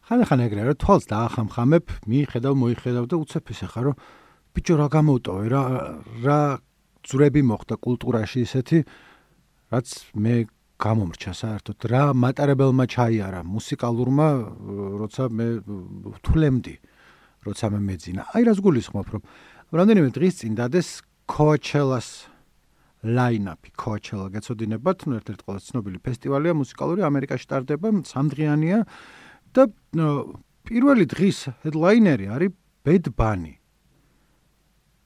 ხან ეგრე რა თვალს დაახამხამებ, მოიხედავ და უცებ ისე ხარ, რომ ბიჭო რა გამოვტოვე, რა ძვრები მოხდა კულტურაში ისეთი, რაც მე გამომრჩა საერთოდ, რა მატარებელმა ჩაიარა მუსიკალურმა, როცა მე ვთვლემდი, როცა მე მეძინა. აი რას გულისხმობ, რომ რამდენიმე დღის წინ დადეს Coachella-ს line-up-ი, Coachella გეცოდინებათ, ერთ-ერთი ყველაზე ცნობილი ფესტივალია მუსიკალური, ამერიკაში ტარდება, 3 დღიანია და პირველი დღის headliner-ი არის Bad Bunny.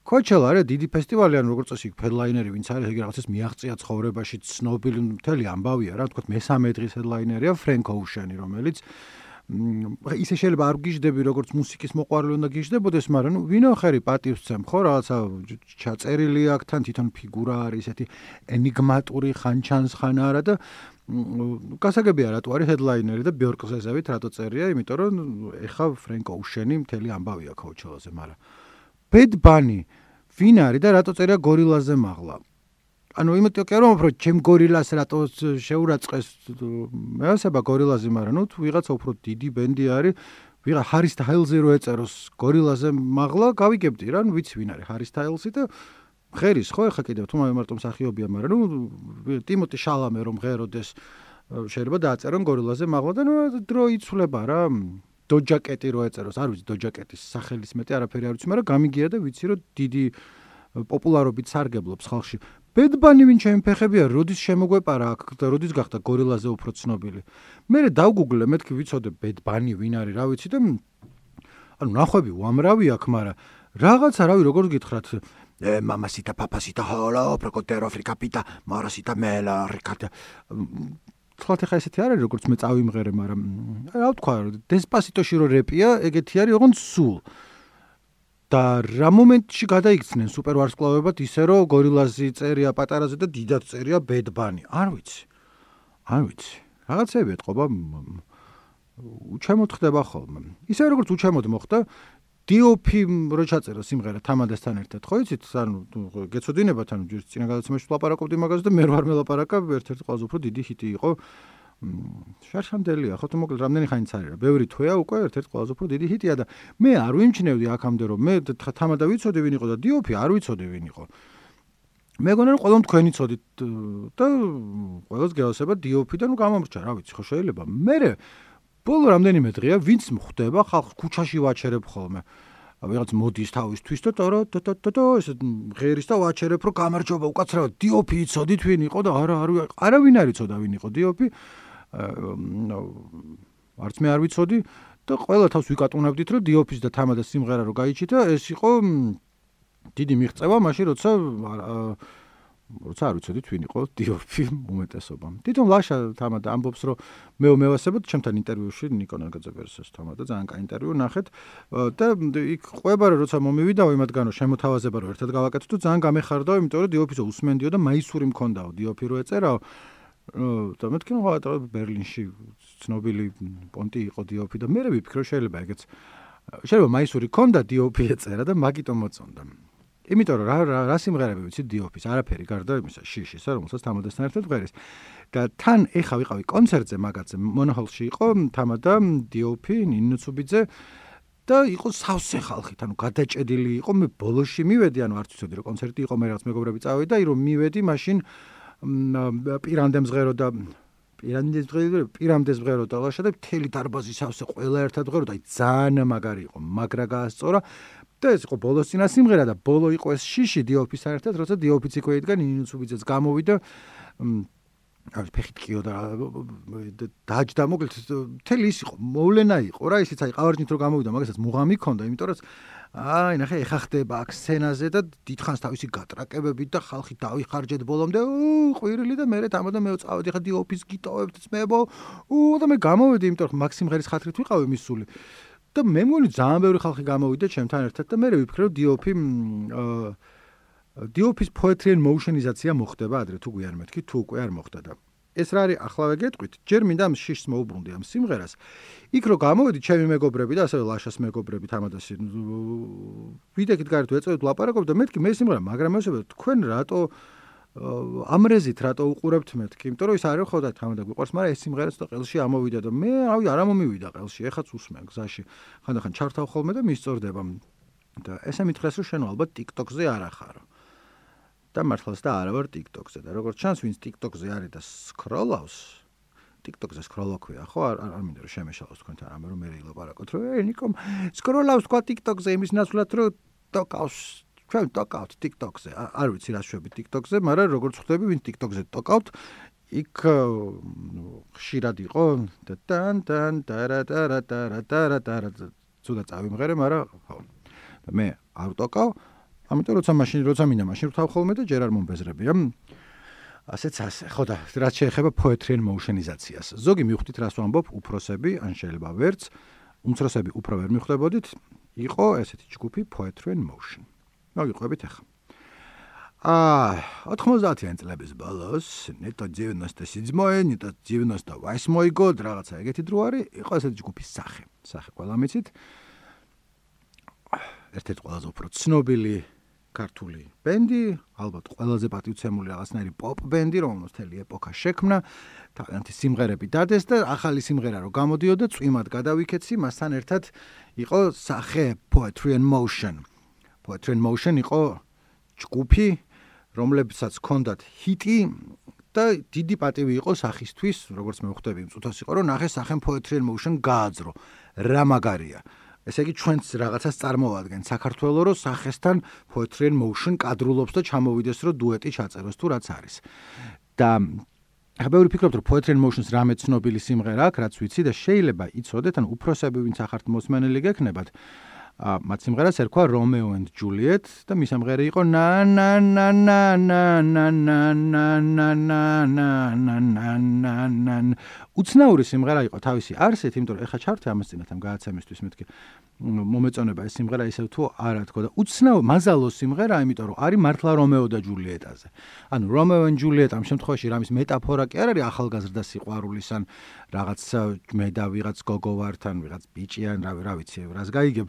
Coachella არის დიდი ფესტივალი, ან როგორც წესი headliner-ი ვინც არის, იგი რაღაცას მიაღწია ცხოვრებაში, ცნობილი მთელი ამბავია რა, თქო მესამე დღის headliner-ია Frank Ocean-ი, რომელიც ისე შეიძლება არ გიждები როგორც მუსიკის მოყვარული უნდა გიждებოდეს, მაგრამ ვინო ხერი პატივსცემ ხო რაღაცა ჩაწერილი აქ თან თვითონ ფიგურა არის ესეთი ენიგმატური ხან ჩანს ხან არა და გასაგებია რატო არის headliner-ი და Björk-ს ესევით რატო წერია, იმიტომ რომ ეხა Frank Ocean-ი მთელი ამბავია Coachella-ზე, მაგრამ Bad Bunny ვინ არის და რატო წერია გორილაზე მაღლა? ანუ იმიტომ კი რომ ჩემ გორილას რატო შეურაცხეს მეასება გორილაზე, მაგრამ ნუ ვიღაცა უფრო დიდი ბენდი არის, ვიღა Harry Styles-ი რო ეწეროს გორილაზე მაღლა, გავიგებდი რა, ნუ ვიცი ვინ არის Harry Styles-ი და ღერის ხო ეხა კიდევ თუ მარტო მსახიობია, მაგრამ ნუ ტიმოტი შალამე რომ ღეროდეს შეიძლება დააწერონ გორილაზე მაღლა და ნუ დრო იცვლება რა. Doja Cat-ი რო ეწეროს, არ ვიცი Doja Cat-ის სახელის მეტი არაფერი არ ვიცი, მაგრამ გამიგია და ვიცი რომ დიდი პოპულარობით სარგებლობს ხალხში. Bad Bunny ვინ ჩემი ფეხებია, როდის შემოგვეპარა აქ და როდის გახდა გორილაზე უფრო ცნობილი. მე დავგუგლე, მეთქი ვიცოდე Bad Bunny ვინ არის, რა ვიცი და ანუ ნახვები უამრავი აქ, მაგრამ რაღაცა რავი როგორ გითხრათ, mamacita papacita holo, procotero fricapita, marasita mela, ricata. Თქვათ ხა ესეთი არის როგორც მე წავიმღერე, მაგრამ რა ვთქვა, Despacito-ში რო რეპია, ეგეთი არის ოღონდ სულ. და რა მომენტში გადაიქცნენ სუპერ ვარსკვლავებად ისე რომ გორილაზი წერია პატარაზე და დიდად წერია Bad Bunny. არ ვიცი. რაღაცები ეთყობა უჩემოდ ხდება ხოლმე. ისე როგორც უჩემოდ მოხდა D.O.P. რო ჩაწერა სიმღერა თამადასთან ერთად, ხო იცით? ანუ გეცოდინებათ, ანუ ჯერ წინა გადაცემაში ვლაპარაკობდი მაგაზე და მე ვარ მელაპარაკა, ერთ-ერთი ყველაზე უფრო დიდი ჰიტი იყო. შარშანდელია, ხო თუ მოკლედ რამდენი ხანიც არის რა. ბევრი თვეა უკვე ერთ-ერთი ყველაზე უფრო დიდი ჰიტია და მე არ ვიმჩნევდი აქამდე რომ მე თამადა ვიცოდი ვინ იყო და D.O.P. არ ვიცოდი ვინ იყო. მე გონა რომ ყველამ თქვენი ცოდით და ყველას გეოსება D.O.P. და ნუ გამომრჩა, რა ვიცი, ხო შეიძლება. მე ბოლო რამდენიმე დღეა ვინც მხვდება ხალხს ქუჩაში ვაჩერებ ხოლმე. ვიღაც მოდის თავისთვის და ეს ღერის და ვაჩერებ რომ გამარჯობა უკაცრავად D.O.P. იცოდით ვინ იყო და არავინ არ იცოდა ვინ იყო D.O.P. არც მე არ ვიცოდი და ყველა თავს ვიკატუნებდით რომ D.O.P.-ს და თამადას სიმღერა რო გაიჩიტა, ეს იყო დიდი მიღწევა მაშინ როცა არ ვიცოდით ვინ იყო D.O.P. უმეტესობამ. თვითონ ლაშა თამადა ამბობს რომ მევასებოდ ჩემთან ინტერვიუში ნიკო ნაგაძეპერსეს თამადა ძალიან კაი ინტერვიუ ნახეთ და იქ ყვება რომ როცა მომივიდაო იმათგანო შემოთავაზება რომ ერთად გავაკეთოთ ძალიან გამეხარდაო, იმიტომ რომ D.O.P.-ს უსმენდიო და მაისური მქონდაო D.O.P. რო ეწერაო და მეთქი რომ ბერლინში ცნობილი პონტი იყო D.O.P. და მე ვიფიქრე რომ შეიძლება მაისური ქონდა D.O.P. ეწერა და მაგიტომ მოწონდა. იმიტომ რომ რა სიმღერები ვიცი D.O.P.-ს, არაფერი გარდა იმისა შიშისა, რომელსაც თამადასთან ერთად ვღერის. და თან ეხა ვიყავი კონცერტზე მაგაზე, მონოჰოლში იყო თამადა D.O.P. ნინო ცუბიძე და იყო სავსე ხალხით, ანუ გადაჭედილი იყო. მე ბოლოში მივედი, ანუ არც ვიცოდი რომ კონცერტი იყო, მე რაღაც მეგობრები წავედი და რომ მივედი, მაშინ პირამდეს ვღერო და პირამდეს ვღერო და ლაშა და მთელი დარბაზი სავსე ყველა ერთად ვღერო და ძალიან მაგარი იყო, მაგრა გაასწორა. და ეს იყო ბოლოს წინა სიმღერა და ბოლო იყო ეს შიში D.O.P.-ს საერთოდ, როცა D.O.P.-ც იყო იდგა ნინო ცუბიძეც გამოვიდა ფეხით კიო და დაჯდა მოკლედ მთელი ის იყო მოვლენა იყო რა, ისიც აი ყავარჯით რო გამოვიდა მაგასაც მუღამი ქონდა, იმიტომ რომ ნახე ეხა ხდება აქ სცენაზე და დიდხანს თავისი გატრაკებებით და ხალხი დავიხარჯეთ ბოლომდე ყვირილი და მე თამადა მე წავედი ხა D.O.P.-ს გიტოვებთ ძმებო და მე გამოვედი, იმიტომ რომ მაქსიმ ღერის ხათრით ვიყავი მისული და მე მგონი ძალიან ბევრი ხალხი გამოვიდა ჩემთან ერთად და მე ვიფიქრე რომ D.O.P.-ს poetry and motion-იზაცია მოხდება ადრე თუ გვიან მეთქი, თუ უკვე არ მოხდა და ეს რა არის ახლავე გეტყვით, ჯერ მინდა ამ შიშს მოუბრუნდი ამ სიმღერას. იქ რო გამოვედი ჩემი მეგობრები და ასევე ლაშას მეგობრები თამადასი ვიდექით გარეთ ვეწევით ლაპარაკობ და მეთქი მე სიმღერა, მაგრამ ესება თქვენ რატო ამრეზით რატო უყურებთ მეთქი? იმიტომ რომ ის არის ხო და თამადა გვიყვარს, მაგრამ ეს სიმღერაც და ყელში ამოვიდა და მე რავი არ ამომივიდა ყელში, ეხაც უსმენ გზაში. ხანდახან ჩართავ ხოლმე და მისწორდება. და ესე მითხრეს რომ შენ ალბათ TikTok-ზე არ ახარო. და მართლაც და არა ვარ TikTok-ზე და როგორც ჩანს ვინც TikTok-ზე არის და სკროლავს TikTok-ზე სკროლოქვია ხო არ მინდა რომ შემეშალოს თქვენთან რამე რომ მე ილაპარაკოთ რომ ნიკომ სკროლავს თქვა TikTok-ზე იმის ნაცვლად რომ ტოკავს ჩვენ ტოკავთ TikTok-ზე არ ვიცი რა შვები TikTok-ზე მაგრამ როგორც ხვდები ვინც TikTok-ზე ტოკავთ იქ ხშირად იყო და თან ცუდა წავიმღერე მაგრამ ხო და მე არ ტოკავ ამიტომ როცა მინდა მაშინ ვთავ ხოლმე და ჯერ არ მომბეზრებია ასეც ასე ხო და რაც შეეხება poetry and motionization-ს ზოგი მივხვდით რას ვამბობ უფროსები ან შეიძლება ვერც უმცროსები უფრო ვერ მივხვდებოდით იყო ესეთი ჯგუფი poetry and motion მოგიყვებით ახლა 90-იან წლების ბოლოს ნეტო 97 ნეტო 98 გოდ რაღაცა ეგეთი დრო არის იყო ესეთი ჯგუფის სახე ყველა მიცით ერთ-ერთი ყველაზე უფრო ცნობილი ქართული ბენდი, ალბათ ყველაზე პატივცემული რაღაცნაირი პოპ ბენდი, რომელსაც მთელი ეპოქა შექმნა, თავიანთი სიმღერები დადეს და ახალი სიმღერა რო გამოდიოდა, წვიმად გადავიქეცი, მასთან ერთად იყო სახე Poetry and Motion. Poetry and Motion იყო ჯგუფი, რომლებსაც ჰქონდათ ჰიტი და დიდი პატივი იყო სახისთვის, როგორც მე ვხვდები, მწუთას იყო, რომ ნახე სახე Poetry and Motion გააძრო. რა მაგარია. ესე იგი ჩვენც რაღაცას წარმოვადგენ საქართველოს რო სახესთან poetry and motion კადრულობს და ჩამოვიდეს რომ დუეტი ჩაწეროს თუ რაც არის. და ახლა ვფიქრობთ რომ poetry and motion-ს რამე ცნობილი სიმღერა აქვს, რაც ვიცი და შეიძლება იცოდეთ, ან უფროსები ვინც ახართ მოსმენელი გექნებათ, მათ სიმღერას ერქვა Romeo and Juliet და მის ამღერი იყო na na na na na na na na na na na na na უცნაური სიმღერა იყო თავისი არსით, იმიტომ რომ ეხა ჩართე ამას წინათ ამ გააცემისთვის მეთქი მომეწონება ეს სიმღერა ისევ თუ არა თქო და უცნაური მაზალო სიმღერა, იმიტომ რომ არის მართლა რომეო და ჯულიეტაზე. ანუ Romeo and Juliet ამ შემთხვევაში რამის მეტაფორა კი არ არის ახალგაზრდა სიყვარულის ან რაღაც მე და ვიღაც გოგო ვართან, ვიღაც ბიჭი ან რა ვიცი, რას გაიგებ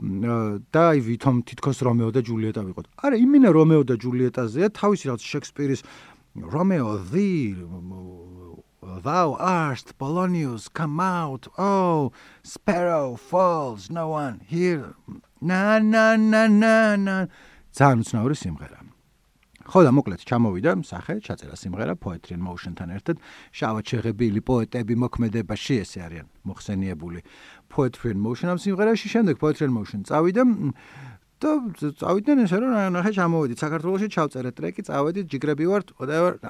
და აი ვითომ თითქოს რომეო და ჯულიეტა ვიყოთ. არა, იმინა რომეო და ჯულიეტაზეა თავისი რაღაც შექსპირის Romeo thee thou art Polonius come out oh sparrow falls no one here na na na na na ძალიან უცნაური სიმღერა. ხო და მოკლედ ჩამოვიდა სახე ჩაწერა სიმღერა Poetry and Motion-თან ერთად შავად შეღებილი პოეტები მოქმედებაში ესე არიან მოხსენიებული Poetry and Motion ამ სიმღერაში შემდეგ Poetry and Motion წავიდა და წავიდნენ ესე რომ ნახე ჩამოვიდით საქართველოში ჩავწერეთ ტრეკი წავედით ჯიგრები ვართ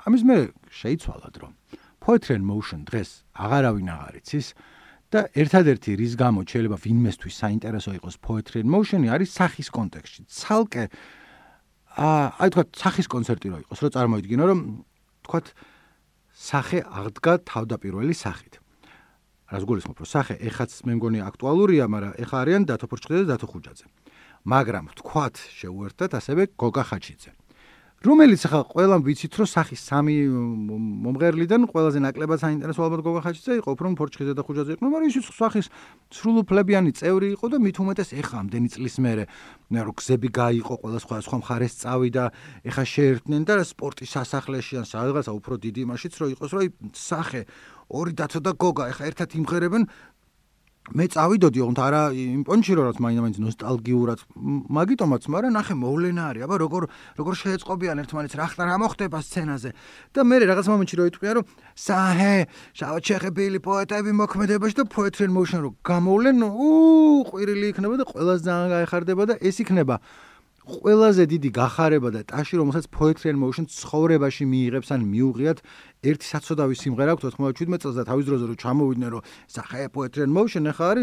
ამის მე შეიცვალა დრო Poetry and Motion დღეს აღარავინ აღარ იცის და ერთადერთი რის გამო შეიძლება ვინმესთვის საინტერესო იყოს Poetry and Motion-ი არის სახის კონტექსტში ცალკე აი თქვა სახის კონცერტი რო იყოს, რომ წარმოიდგინო, რომ თქვა სახე აღდგა თავდაპირველი სახით. რას გულისხმობ, რომ სახე ეხაც მე მგონი აქტუალურია, მაგრამ ეხა არიან დათო ფორჩხიძე და დათო ხუჯაძე. მაგრამ თქვა შეუერთდათ ასევე გოგა ხაჩიძე. რომელიც ახლა ყველამ ვიცით, რომ სახის სამი მომღერლიდან ყველაზე ნაკლებად საინტერესო ალბათ გოგა ხაჩიძე იყო, უფრო ფორჩხიძე და ხუჯაძე იყო, მაგრამ ის სახის სრულუფლებიანი წევრი იყო და მით უმეტეს ეხა ამდენი წლის მერე რო გზები გაიყო, ყველა სხვა მხარეს წავიდა, ეხა შეერთდნენ და სპორტის სასახლეში ან სადღაცა უფრო დიდი იმაშიც რო იყოს, რომ სახე ორი დათო და გოგა ეხა ერთად იმღერებენ მე წავიდოდი ოღონდ არა იმ პონჩი რომ მაინც ნოსტალგიურად მაგიტომაც მაგრამ ნახე მოვლენა არის აბა როგორ შეეწყობიან ერთმანეთს რა მოხდება სცენაზე და მე რაღაც მომენტში რო იტყვია რომ საჰე შავად შეღებილი პოეტები მოქმედებაში და Poetry and Motion რო გამოვლენ ყვირილი იქნება და ყველას ძალიან გაეხარდება და ეს იქნება ყველაზე დიდი გახარება და ტაში რომელსაც Poetry and Motion ცხოვრებაში მიიღებს ან მიუღიათ ერთი საცოდავი სიმღერა აქვს 97 წელს და თავის დროზე რომ ჩამოვიდნენ რომ სახე Poetry and Motion ახლა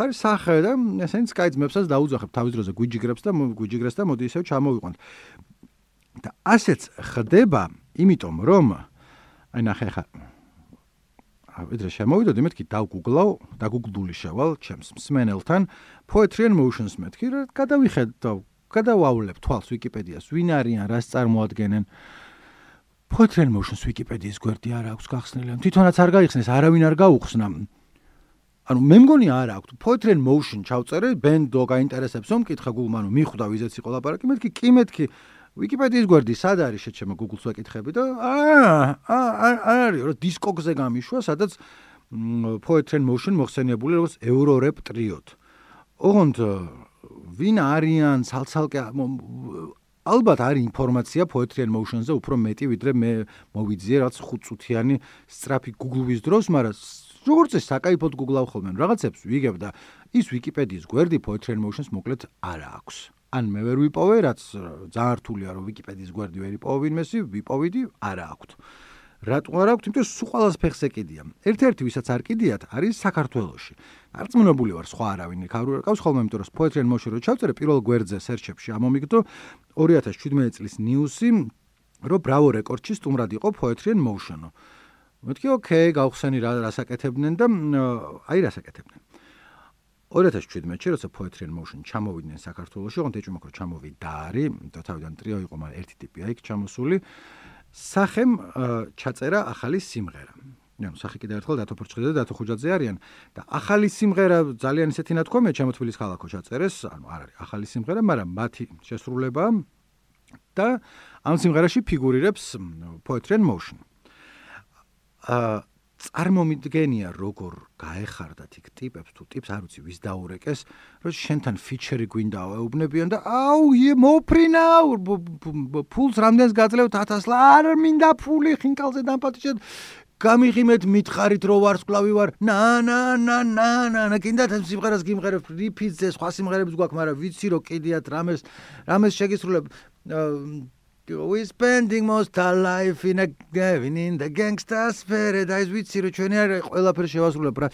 არის სახე და ესენიც კაი ძმებსაც დაუძახებ თავის დროზე გვიჯიგრეს და მოდი ისევ ჩამოვიყვანთ და ასეც ხდება იმიტომ რომ აი ნახე ხა ვიდრე შემოვიდოდი მეთქი დაგუგლული შევალ ჩემს მსმენელთან Poetry and Motion-ს მეთქი რა გადავიხედავ გადავავლებ თვალს ვიკიპედიას ვინ არიან რას წარმოადგენენ Poetry and Motion-ს ვიკიპედიის გვერდი არ აქვს გახსნილი თვითონაც არ გაიხსნეს არავინ არ გაუხსნა ანუ მე მგონი არ აქვს Poetry and Motion ჩავწერე ბენდო გაინტერესებს რომ მკითხა გულმანო მიხვდა ვიზეც იყო ლაპარაკი მეთქი კი ვიკიპედიის გვერდი სად არის შეჩემო Google-ს ვეკითხები და არის რომ დისკოგზე გამიშვა, სადაც Poetry in Motion მოხსენიებული როგორც Eurorap ტრიოდ. ოღონდ ვინ არიან ცალცალკე ალბათ არის ინფორმაცია Poetry in Motion-ზე უფრო მეტი ვიდრე მე მოვიძიე რაც 5 წუთიანი სწრაფი Google-ვის დროს, მაგრამ როგორც ეს საკაიფოდ Google-აო ხოლმე რაღაცებს ვიგებ და ის ვიკიპედიის გვერდი Poetry in Motion-ს მოკლედ არ აქვს. ან მე ვერ ვიპოვე, რაც ძალიან რთულია რომ ვიკიპედიის გვერდი ვერ იპოვო ვინმესი, ვიპოვიდი, არ აქვს. რატო არ აქვს? იმიტომ სულ ყველას ფეხს ეკიდია. ერთ-ერთი ვისაც არ კიდიათ არის საქართველოში. არწმუნებული ვარ სხვა არავინ არ ყავს ხოლმე, იმიტომ რომ Poetry in Motion რო ჩავწერე პირველ გვერდზე search-ებში ამომიგდო 2017 წლის ნიუსი, რომ Bravo Records-ში სტუმრად იყო Poetry in Motion. მეთქი ოკეი, გავხსენი რას აკეთებდნენ და აი რას აკეთებდნენ. 2017-ში როცა Poetry in Motion ჩამოვიდნენ საქართველოში, ოღონდ ეჭვმაქ რომ ჩამოვიდა არის, და თავიდან ტრიო იყო, მაგრამ ერთი ტიპია იქ ჩამოსული. სახემ ჩაწერა ახალი სიმღერა. ანუ სახე კიდევ ერთხელ დათო ფორჩხიძე და დათო ხუჯაძე არიან და ახალი სიმღერა ძალიან ისეთი ნათქვამია ჩემოთვილის ქალაქო ჩაწერეს, ანუ არ არის ახალი სიმღერა, მაგრამ მათი შესრულება და ამ სიმღერაში ფიგურირებს Poetry in Motion. წარმომიდგენია როგორ გაეხარდათ იქ ტიპებს თუ ტიპს არ ვიცი ვის დაურეკეს რომ შენთან ფიჩერი გვინდა ეუბნებიან და აუ მოფრინავ ფულს რამდენს გაძლევ 1000 არ მინდა ფული ხინკალზე დამპატიჟეთ გამიღიმეთ მითხარით რომ ვარსკვლავი ვარ ნა კიდათ ამ სიმღერას გიმღერებ რიფიძე სხვა სიმღერებს გვაქვს მაგრამ ვიცი რომ კიდიათ რამეს შეგისრულებ We spending most our life in the gangsters paradise ვიცი რომ ჩვენი არ ყველაფერი შევასრულებ რა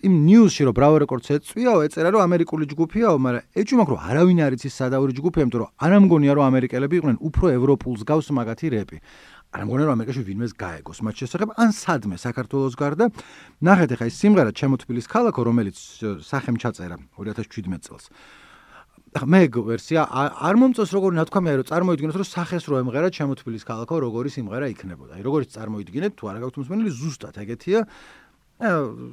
იმ ნიუსში რომ Bravo Records ეწვიაო ეწერა რომ ამერიკული ჯგუფიაო მაგრამ ეჭვმაქ რომ არავინ არ იცის სადავური ჯგუფია იმიტომ რომ არ ამგონია რომ ამერიკელები იყვნენ უფრო ევროპულს გავს მაგათი რეპი არ ამგონია რომ ამერიკაში ვინმეს გაეგოს მათ შესახებ ან სადმე საქართველოს გარდა ნახეთ ახლა ეს სიმღერა ჩემო თბილის ქალაქო რომელიც სახემ ჩაწერა 2017 წელს მე ვერსია არ მომწონს როგორი ნათქვამია რომ წარმოიდგინოთ რომ სახეს რო ემღერა ჩემო თბილის ქალაქო როგორი სიმღერა იქნებოდა. აი როგორიც წარმოიდგინეთ თუ არა გაქვთ მსმენელი ზუსტად ეგეთია.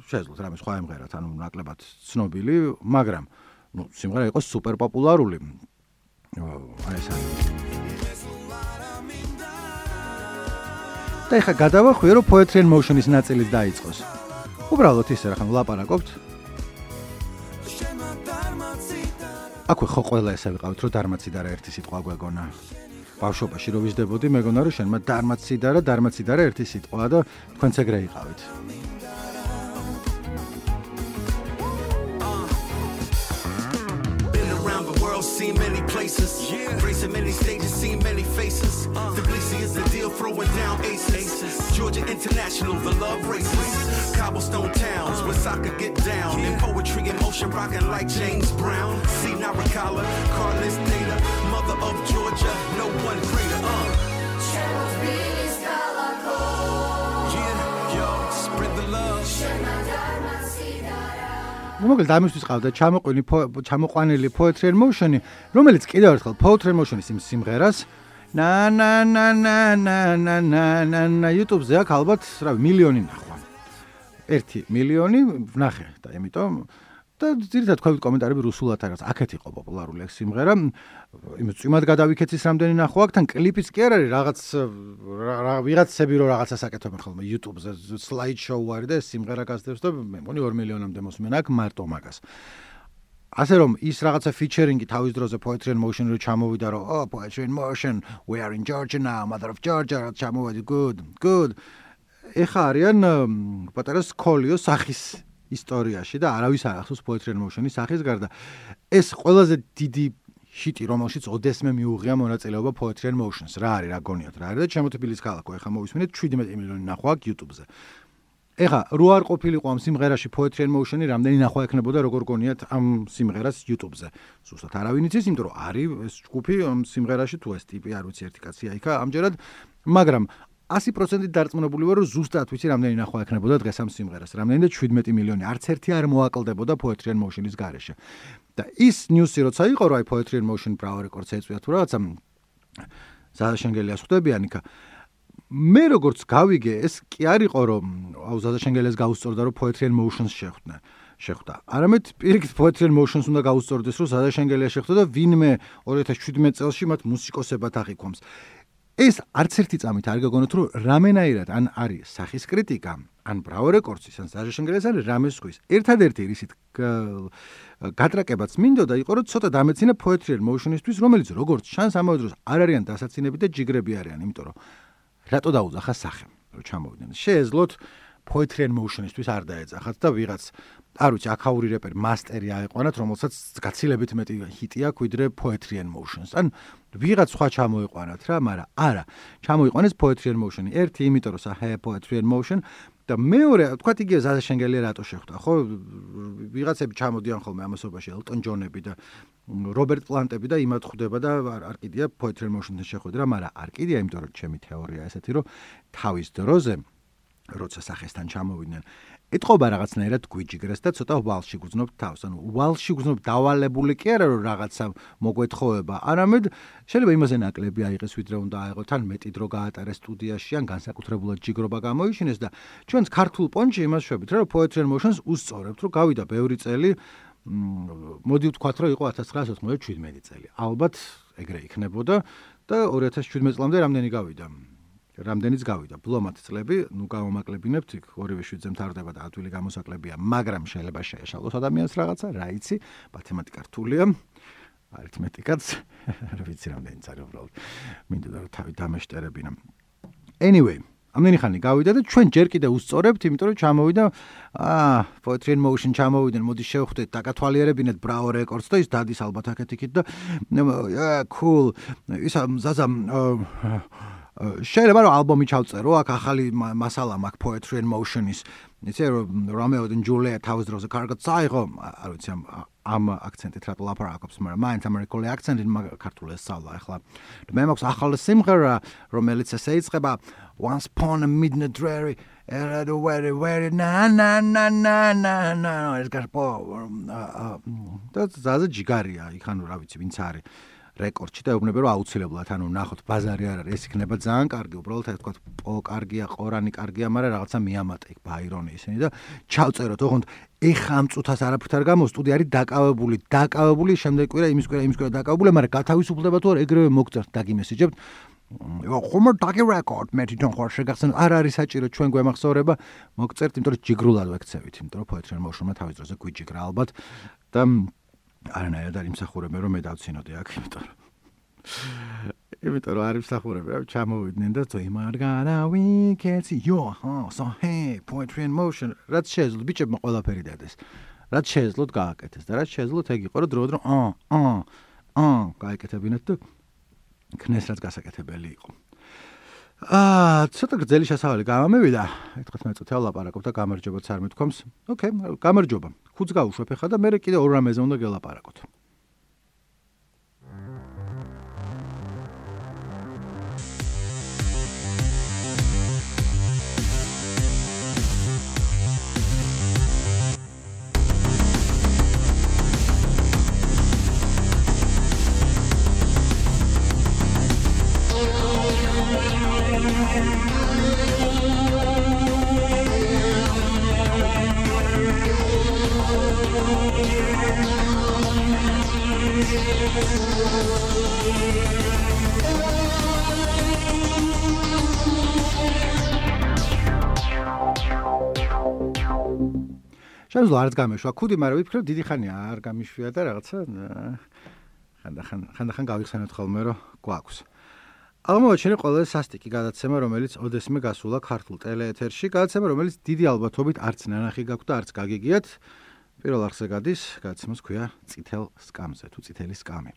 შეძლოთ რამე სხვა ემღერათ ანუ ნაკლებად ცნობილი, მაგრამ ნუ სიმღერა იყო სუპერ პოპულარული. აი ეს არის. და ეხა გადავახვიე რომ Poetry in Motion-ის ნაწილიც დაიწყოს. უბრალოდ ისე რა ხან ვლაპარაკობთ. აქვე ხო ყველა ესე ვიყავით რომ დარმაციდარა ერთი სიტყვა გვეგონა. ბავშვობაში რო ვიზდებოდი მეგონა რომ შენმა დარმაციდარა ერთი სიტყვა და თქვენც ეგრე იყავით. Seen many places, racing many stages, seen many faces. Tbilisi is the deal, throwing down aces. Georgia International, the love races. Cobblestone towns where soccer get down. And Poetry in Motion, rocking like James Brown. See Naricala, Carlos Data, mother of Georgia, no one greater. Yeah, yo, spread the love. მოკლედ ამისთვის ყავდა ჩამოყვანილი Poetry in Motion-ი, რომელიც კიდევ ერთხელ Poetry in Motion-ის იმ სიმღერას na YouTube-ზე აქვს ალბათ რა მილიონი ნახვა. 1 მილიონი ვნახე და იმიტომ და ძირითადად თქვენ კომენტარები რუსულად არის. აქეთ იყო პოპულარული ეს სიმღერა. იმ წვიმად გადავიქეცის რამდენი ნახვა აქვს, თან კლიპიც კი არ არის რაღაც ვიღაცები რო რაღაცას აკეთებენ ხოლმე YouTube-ზე slide show არის და ეს სიმღერა გასდევს და მე მგონი 2 მილიონამდე მოსმენა აქვს მარტო მაგას. ასე რომ ის რაღაცა featuring-ი თავის დროზე Poetry in Motion რო ჩამოვიდა რომ Poetry in Motion we are in Georgia now mother of Georgia ჩამოვედი good ეხა არიან პატარა სკოლიო სახის ისტორიაში და არავის არ ახსოვს Poetry in Motion-ის სახის გარდა ეს ყველაზე დიდი შიტი რომელშიც ოდესმე მიუღია მონაწილეობა Poetry in Motion-ს რა არის რა გონიათ რა არის და ჩემო თბილის ქალაქო ეხა მოვისმენთ 17 მილიონი ნახვა აქვს YouTube-ზე ეხა რო არ ყოფილიყო ამ სიმღერაში Poetry in Motion-ი რამდენი ნახვა ექნებოდა როგორ გონიათ ამ სიმღერას YouTube-ზე ზუსტად არავინ იცის იმიტომ რომ არის ეს ჯგუფი ამ სიმღერაში თუ ეს ტიპი არ ვიცი ერთი კაცია იქა ამჯერად მაგრამ 100% დარწმუნებული ვარ რომ ზუსტად ვიცი რამდენი ნახვა ექნებოდა დღეს ამ სიმღერას რამდენი და 17 მილიონი არც ერთი არ მოაკლდებოდა Poetry in Motion-ის გარეშე და ის ნიუსი როცა იყო რომ აი Poetry in Motion Bravo Records ეწვია თუ რაღაცა ზაშენგელიას ხვდებიან იქა მე როგორც გავიგე, ეს კი არ იყო რომ ზაზა შენგელეს გაუსწორდა რომ Poetry and Motions შეხვდა. არამედ პირიქით Poetry and Motions უნდა გაუსწორდეს რომ ზაზა შენგელია შეხვდა და ვინმე 2017 წელს მათ მუსიკოსებად აღიქვამს. ეს არც ერთი წამით არ გაგონოთ რომ რამენაირად ან არის სახის კრიტიკა, ან Bravo Records-ის, ან ზაზა შენგელეს ან რამეს ხვის. ერთადერთი რისით გატრაკებაც მინდოდა იყო რომ ცოტა დამეცინა Poetry and Motions-ისთვის, რომელიც როგორც შანს ამავე დროს არ არიან დასაცინები და ჯიგრები არიან, იმიტომ რომ რატო დაუძახა სახე, რომ ჩამოვიდნენ. შეეძლოთ Poetry and Motions-თვის არ დაეძახათ და ვიღაც, არ ვიცი, აქაური რეპერი მასტერი აეყვანათ, რომელსაც გაცილებით მეტი ჰიტი აქვს ვიდრე Poetry and Motions. ან ვიღაც სხვა ჩამოიყვანათ რა, მაგრამ არა, ჩამოიყვანეს Poetry and Motion. ერთი, იმიტომ რომ სახე Poetry and Motion და მეორე, თქვათ იგივე ზაზა შენგელია რატო შეხვდა, ხო? ვიღაცები ჩამოდიან ხოლმე ამასობაში, ელტონ ჯონები და რობერტ პლანტები და იმათ ხვდება და არ კიდია Poetry and Motion-თან შეხვედრა, მაგრამ არ კიდია, იმიტომ რომ ჩემი თეორია ესეთი, რომ თავის დროზე როცა სახესთან ჩამოვიდნენ, ეთყობა რაღაცნაირად გვიჯიგრეს და ცოტა ვალში გრძნობთ თავს. ანუ ვალში გრძნობ დავალებული კი არა რომ რაღაცა მოგვეთხოვება, არამედ შეიძლება იმაზე ნაკლები აიღეს ვიდრე უნდა აიღოთ, ან მეტი დრო გაატარეს სტუდიაში, ან განსაკუთრებულად ჯიგრობა გამოიშინეს და ჩვენს ქართულ პონჩი იმას შვებით, რომ Poetry and Motions უსწორებთ, რომ გავიდა ბევრი წელი, მოდი ვთქვათ, რომ იყო 1997 წელი. ალბათ ეგრე იქნებოდა და 2017 წლამდე რამდენიც გავიდა. ბლომად წლები, ნუ გავამაკლებინებთ, იქ ორივე შვიდზე მთავრდება და ადვილი გამოსაკლებია, მაგრამ შეიძლება შეეშალოს ადამიანს რაღაცა, რა იცი, მათემატიკა რთულია, არითმეტიკაც, არ ვიცი რამდენიც არის უბრალოდ. მინდოდა რომ თავი დამეშტერებინა. Anyway, ამდენი ხანი გავიდა და ჩვენ ჯერ კიდევ უსწორებთ, იმიტომ რომ ჩამოვიდა, Poetry and Motion ჩამოვიდნენ, მოდი შევხვდეთ, დაკათვალიერებინეთ Bravo Records და ის დადის ალბათ აქეთ-იქით და cool, ისა ზაზა შეიძლება რომ ალბომი ჩავწერო, აქ ახალი მასალა მაქვს Poetry and Motion-ის. იცი რომ Romeo and Juliet თავის დროზე კარგად წაიღო, არ ვიცი ამ აქცენტით რატო ლაპარაკობს, მაგრამ მაინც ამერიკული აქცენტით ქართული ესწავლა ახლა. მე მაქვს ახალი სიმღერა, რომელიც ესე იწყება Once upon a midnight dreary, very na ეს გარბო და ზაზა ჯიგარია, იქ ანუ რა ვიცი, ვინც არის რეკორდში და ეუბნება რომ აუცილებლად ანუ ნახოთ ბაზარი არ არის, ეს იქნება ძალიან კარგი, უბრალოდ ეს თქვა პო კარგია, ყორანი კარგია, მაგრამ რაღაცა მიამატე იქ ბაირონი ისინი და ჩავწეროთ, ოღონდ ეხა ამ წუთას არაფრით არ გამო, სტუდია არის დაკავებული, შემდეგ კვირა იმის კვირა დაკავებული, მაგრამ გათავისუფლდება თუ არ ეგრევე მოგწერთ დაგიმესიჯებთ. ხომ დაგი რეკორდ მეტი თვითონ ხარ შეგახსენოთ, არ არის საჭირო ჩვენ გვემახსოვრება, მოგწერთ, იმიტომ რომ ჯიგრულად ვექცევით, იმიტომ რომ Poetry and Motion-მა თავის დროზე გვიჯიგრა ალბათ და არანაირად არ იმსახურებენ რომ მე დავცინოდე აქ, იმიტომ რომ არ იმსახურებენ, რომ ჩამოვიდნენ და იმარგანა ვიკეცი, so hey, Poetry and Motion, რაც შეეძლოთ ბიჭებმა ყველაფერი დადეს, რაც შეეძლოთ გააკეთეს და რაც შეეძლოთ ეგ იყო რომ დროდადრო გააკეთებინათ და ქნეს რაც გასაკეთებელი იყო. ცოტა გრძელი შესავალი გამომივიდა, 19 წუთი ლაპარაკობ და გამარჯობაც არ მეთქვამს. ოკეი, გამარჯობა. ხუთს გავუშვებ ახლა და მე კიდე ორ რამეზე უნდა გელაპარაკოთ. შემძლო არც გამეშვა ქუდი, მაგრამ ვიფიქრე დიდი ხანია არ გამიშვია და რაღაცა ხანდახან გავიხსენოთ ხოლმე რომ გვაქვს. აღმოაჩინე ყველა სასტიკი გადაცემა, რომელიც ოდესმე გასულა ქართულ ტელეეთერში, გადაცემა, რომელიც დიდი ალბათობით არც ნანახი გაქვთ და არც გაგიგიათ. პირველ არხზე გადის, გადაცემას ქვია წითელ სკამზე თუ წითელი სკამი.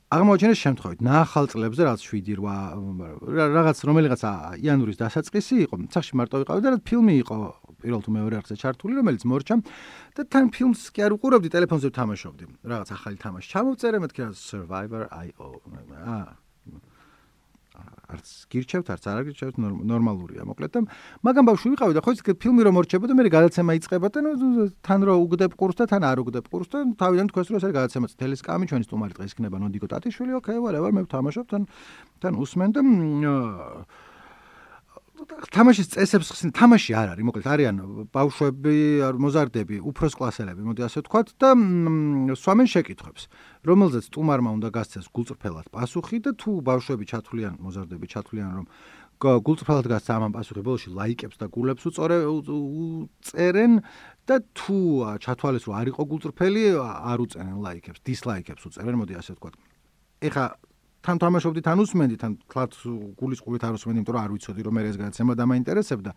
აღმოაჩინეს შემთხვევით ნახალ წლებზე რაც 7-8 რაღაც რომელიღაც იანვრის დასაწყისი იყო, სახში მარტო ვიყავი და ფილმი იყო პირველ თუ მეორე არხზე ჩართული, რომელიც მორჩა და თან ფილმს კი არ უყურებდი, ტელეფონზე ვთამაშობდი. რაღაც ახალი თამაში ჩამოვწერე, მეთქი რა Survivor.io. არც გირჩევთ, არც არ გირჩევთ, ნორმალურია, მოკლედ და მაგამ ბავშვი ვიყავი და ხო ის ფილმი რომ მორჩება და მე გადაცემა იწყება და თან რო უგდებ ყურს და თან არ უგდებ ყურს და თავიდან თქვენს რომ ეს არის გადაცემა წითელი სკამი, ჩვენი სტუმარი დღეს იქნება ნოდიკო ტატიშვილი, ოკეი, whatever, მე ვთამაშობ, თან უსმენ და თამაშის წესებს ხსნით, თამაში არ არის, მოკლედ არიან ბავშვები, მოზარდები, უფროს კლასელები, მოდი ასე ვთქვათ და სვამენ შეკითხვებს, რომელზეც სტუმარმა უნდა გასცეს გულწრფელად პასუხი და თუ ბავშვები ჩათვლიან, მოზარდები ჩათვლიან, რომ გულწრფელად გასცა ამან პასუხი, ბოლოში ლაიკებს და გულებს უწერენ და თუ ჩათვალეს რომ არ იყო გულწრფელი, არ უწერენ ლაიკებს, დისლაიკებს უწერენ, მოდი ასე ვთქვათ. ეხა თან თამაშობდით, თან უსმენდით, თან თლათ გულის ყურით არ უსმენდი, იმიტომ რომ არ ვიცოდი რომ მე ეს გადაცემა დამაინტერესებდა.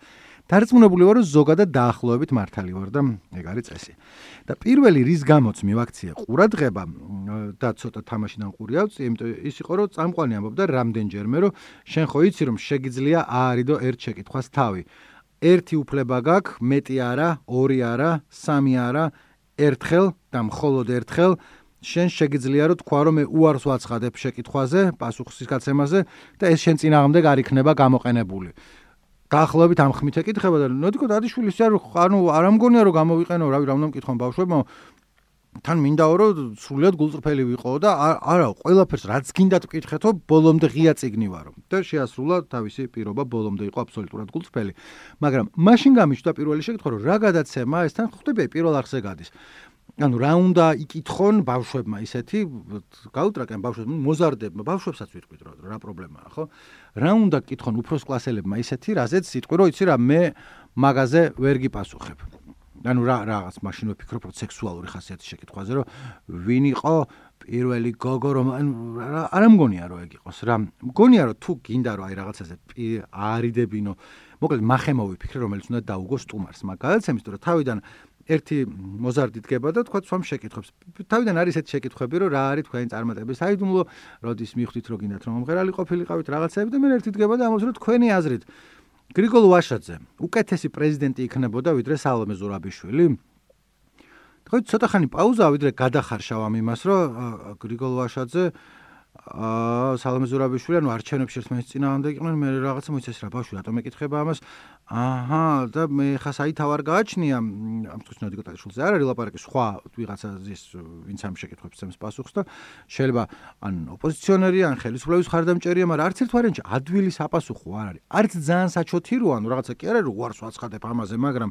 დარწმუნებული ვარ, რომ ზოგადად დაახლოებით მართალი ვარ და ეგ არის წესი. და პირველი რის გამოც მივაქციე ყურადღება და ცოტა თამაშიდან ყური ავწიე, იმიტომ ის იყო რომ წამყვანი ამბობდა რამდენჯერმე, რომ შენ ხო იცი რომ შეგიძლია აარიდო ერთ შეკითხვას თავი. ერთი უფლება გაქვს, მეტი არა, ორი არა, სამი არა, ერთხელ და მხოლოდ ერთხელ შენ შეგიძლია რომ თქვა რომ მე უარს ვაცხადებ შეკითხვაზე, პასუხის გაცემაზე და ეს შენ წინააღმდეგ არ იქნება გამოყენებული. დაახლოებით ამ ხმით ეკითხება და ნოდიკო დადიშვილი არ ამგონია რომ გამოვიყენო, რავი, რა უნდა მკითხონ ბავშვებმა, თან მინდაო რომ სრულიად გულწრფელი ვიყო და არა, ყველაფერს რაც გინდათ მკითხეთო, ბოლომდე ღია წიგნი ვარო და შეასრულა თავისი პირობა, ბოლომდე იყო აბსოლუტურად გულწრფელი. მაგრამ მაშინ გამიჩნდა პირველი შეკითხვა, რომ რა გადაცემა ეს თან ხვდები პირველ არხზე გადის. ანუ რა უნდა იკითხონ ბავშვებმა ისეთი, გაუტრაკენ ბავშვებს, მოზარდებმა, ბავშვებსაც ვიტყვით რა პრობლემაა, ხო? რა უნდა კითხონ უფროს კლასელებმა ისეთი, რაზეც სიტყვი რომ იცი რა მე მაგაზე ვერ გიპასუხებ. ანუ რაღაც მაშინ ვფიქრობ რომ სექსუალური ხასიათის შეკითხვაზე, რომ ვინ იყო პირველი გოგო რომ არ ამგონია რომ ეგ იყოს რა. მგონია რომ თუ გინდა რომ აი რაღაცაზე აარიდებინო, მოკლედ მახემო ვიფიქრე, რომელიც უნდა დაუგო სტუმარს. მაგ გადაცემის თუ რა თავიდან ერთი მოზარდი დგება და თქვა სვამ შეკითხვებს. თავიდან არის ესეთი შეკითხვები, რომ რა არის თქვენი წარმატების საიდუმლო, როდის მიხვდით რომ გინდათ რომ მომღერალი ყოფილიყავით რაღაცები და მე ერთი დგება და ამბობს რომ თქვენი აზრით გრიგოლ ვაშაძე უკეთესი პრეზიდენტი იქნებოდა ვიდრე სალომე ზურაბიშვილი. თქვი ცოტა ხანი პაუზა ვიდრე გადახარშავ ამ იმას, რომ გრიგოლ ვაშაძე სალომე ზურაბიშვილი ანუ არჩევნებში ერთმანეთის წინააღმდეგ იყვნენ, მე რაღაცა მოიცეს რა ბავშვი რატომ ეკითხება ამას. აჰა, და მე ხა საითავარ გააჩნია ამ თქოს ნოდიკო ტაშულზე არ არის ლაპარაკი სხვა ვიღაცაზის ვინც ამ შეკითხვებს წემს პასუხს და შეიძლება ან ოპოზიციონერი ან ხელისუფლების ხარდამჭერია, მაგრამ არც ერთ ვარიანტში ადვილი საპასუხო არ არის. არც ძალიან საჩოთი რო ანუ რაღაცა კი არა რომ უარს ვაცხადებ ამაზე, მაგრამ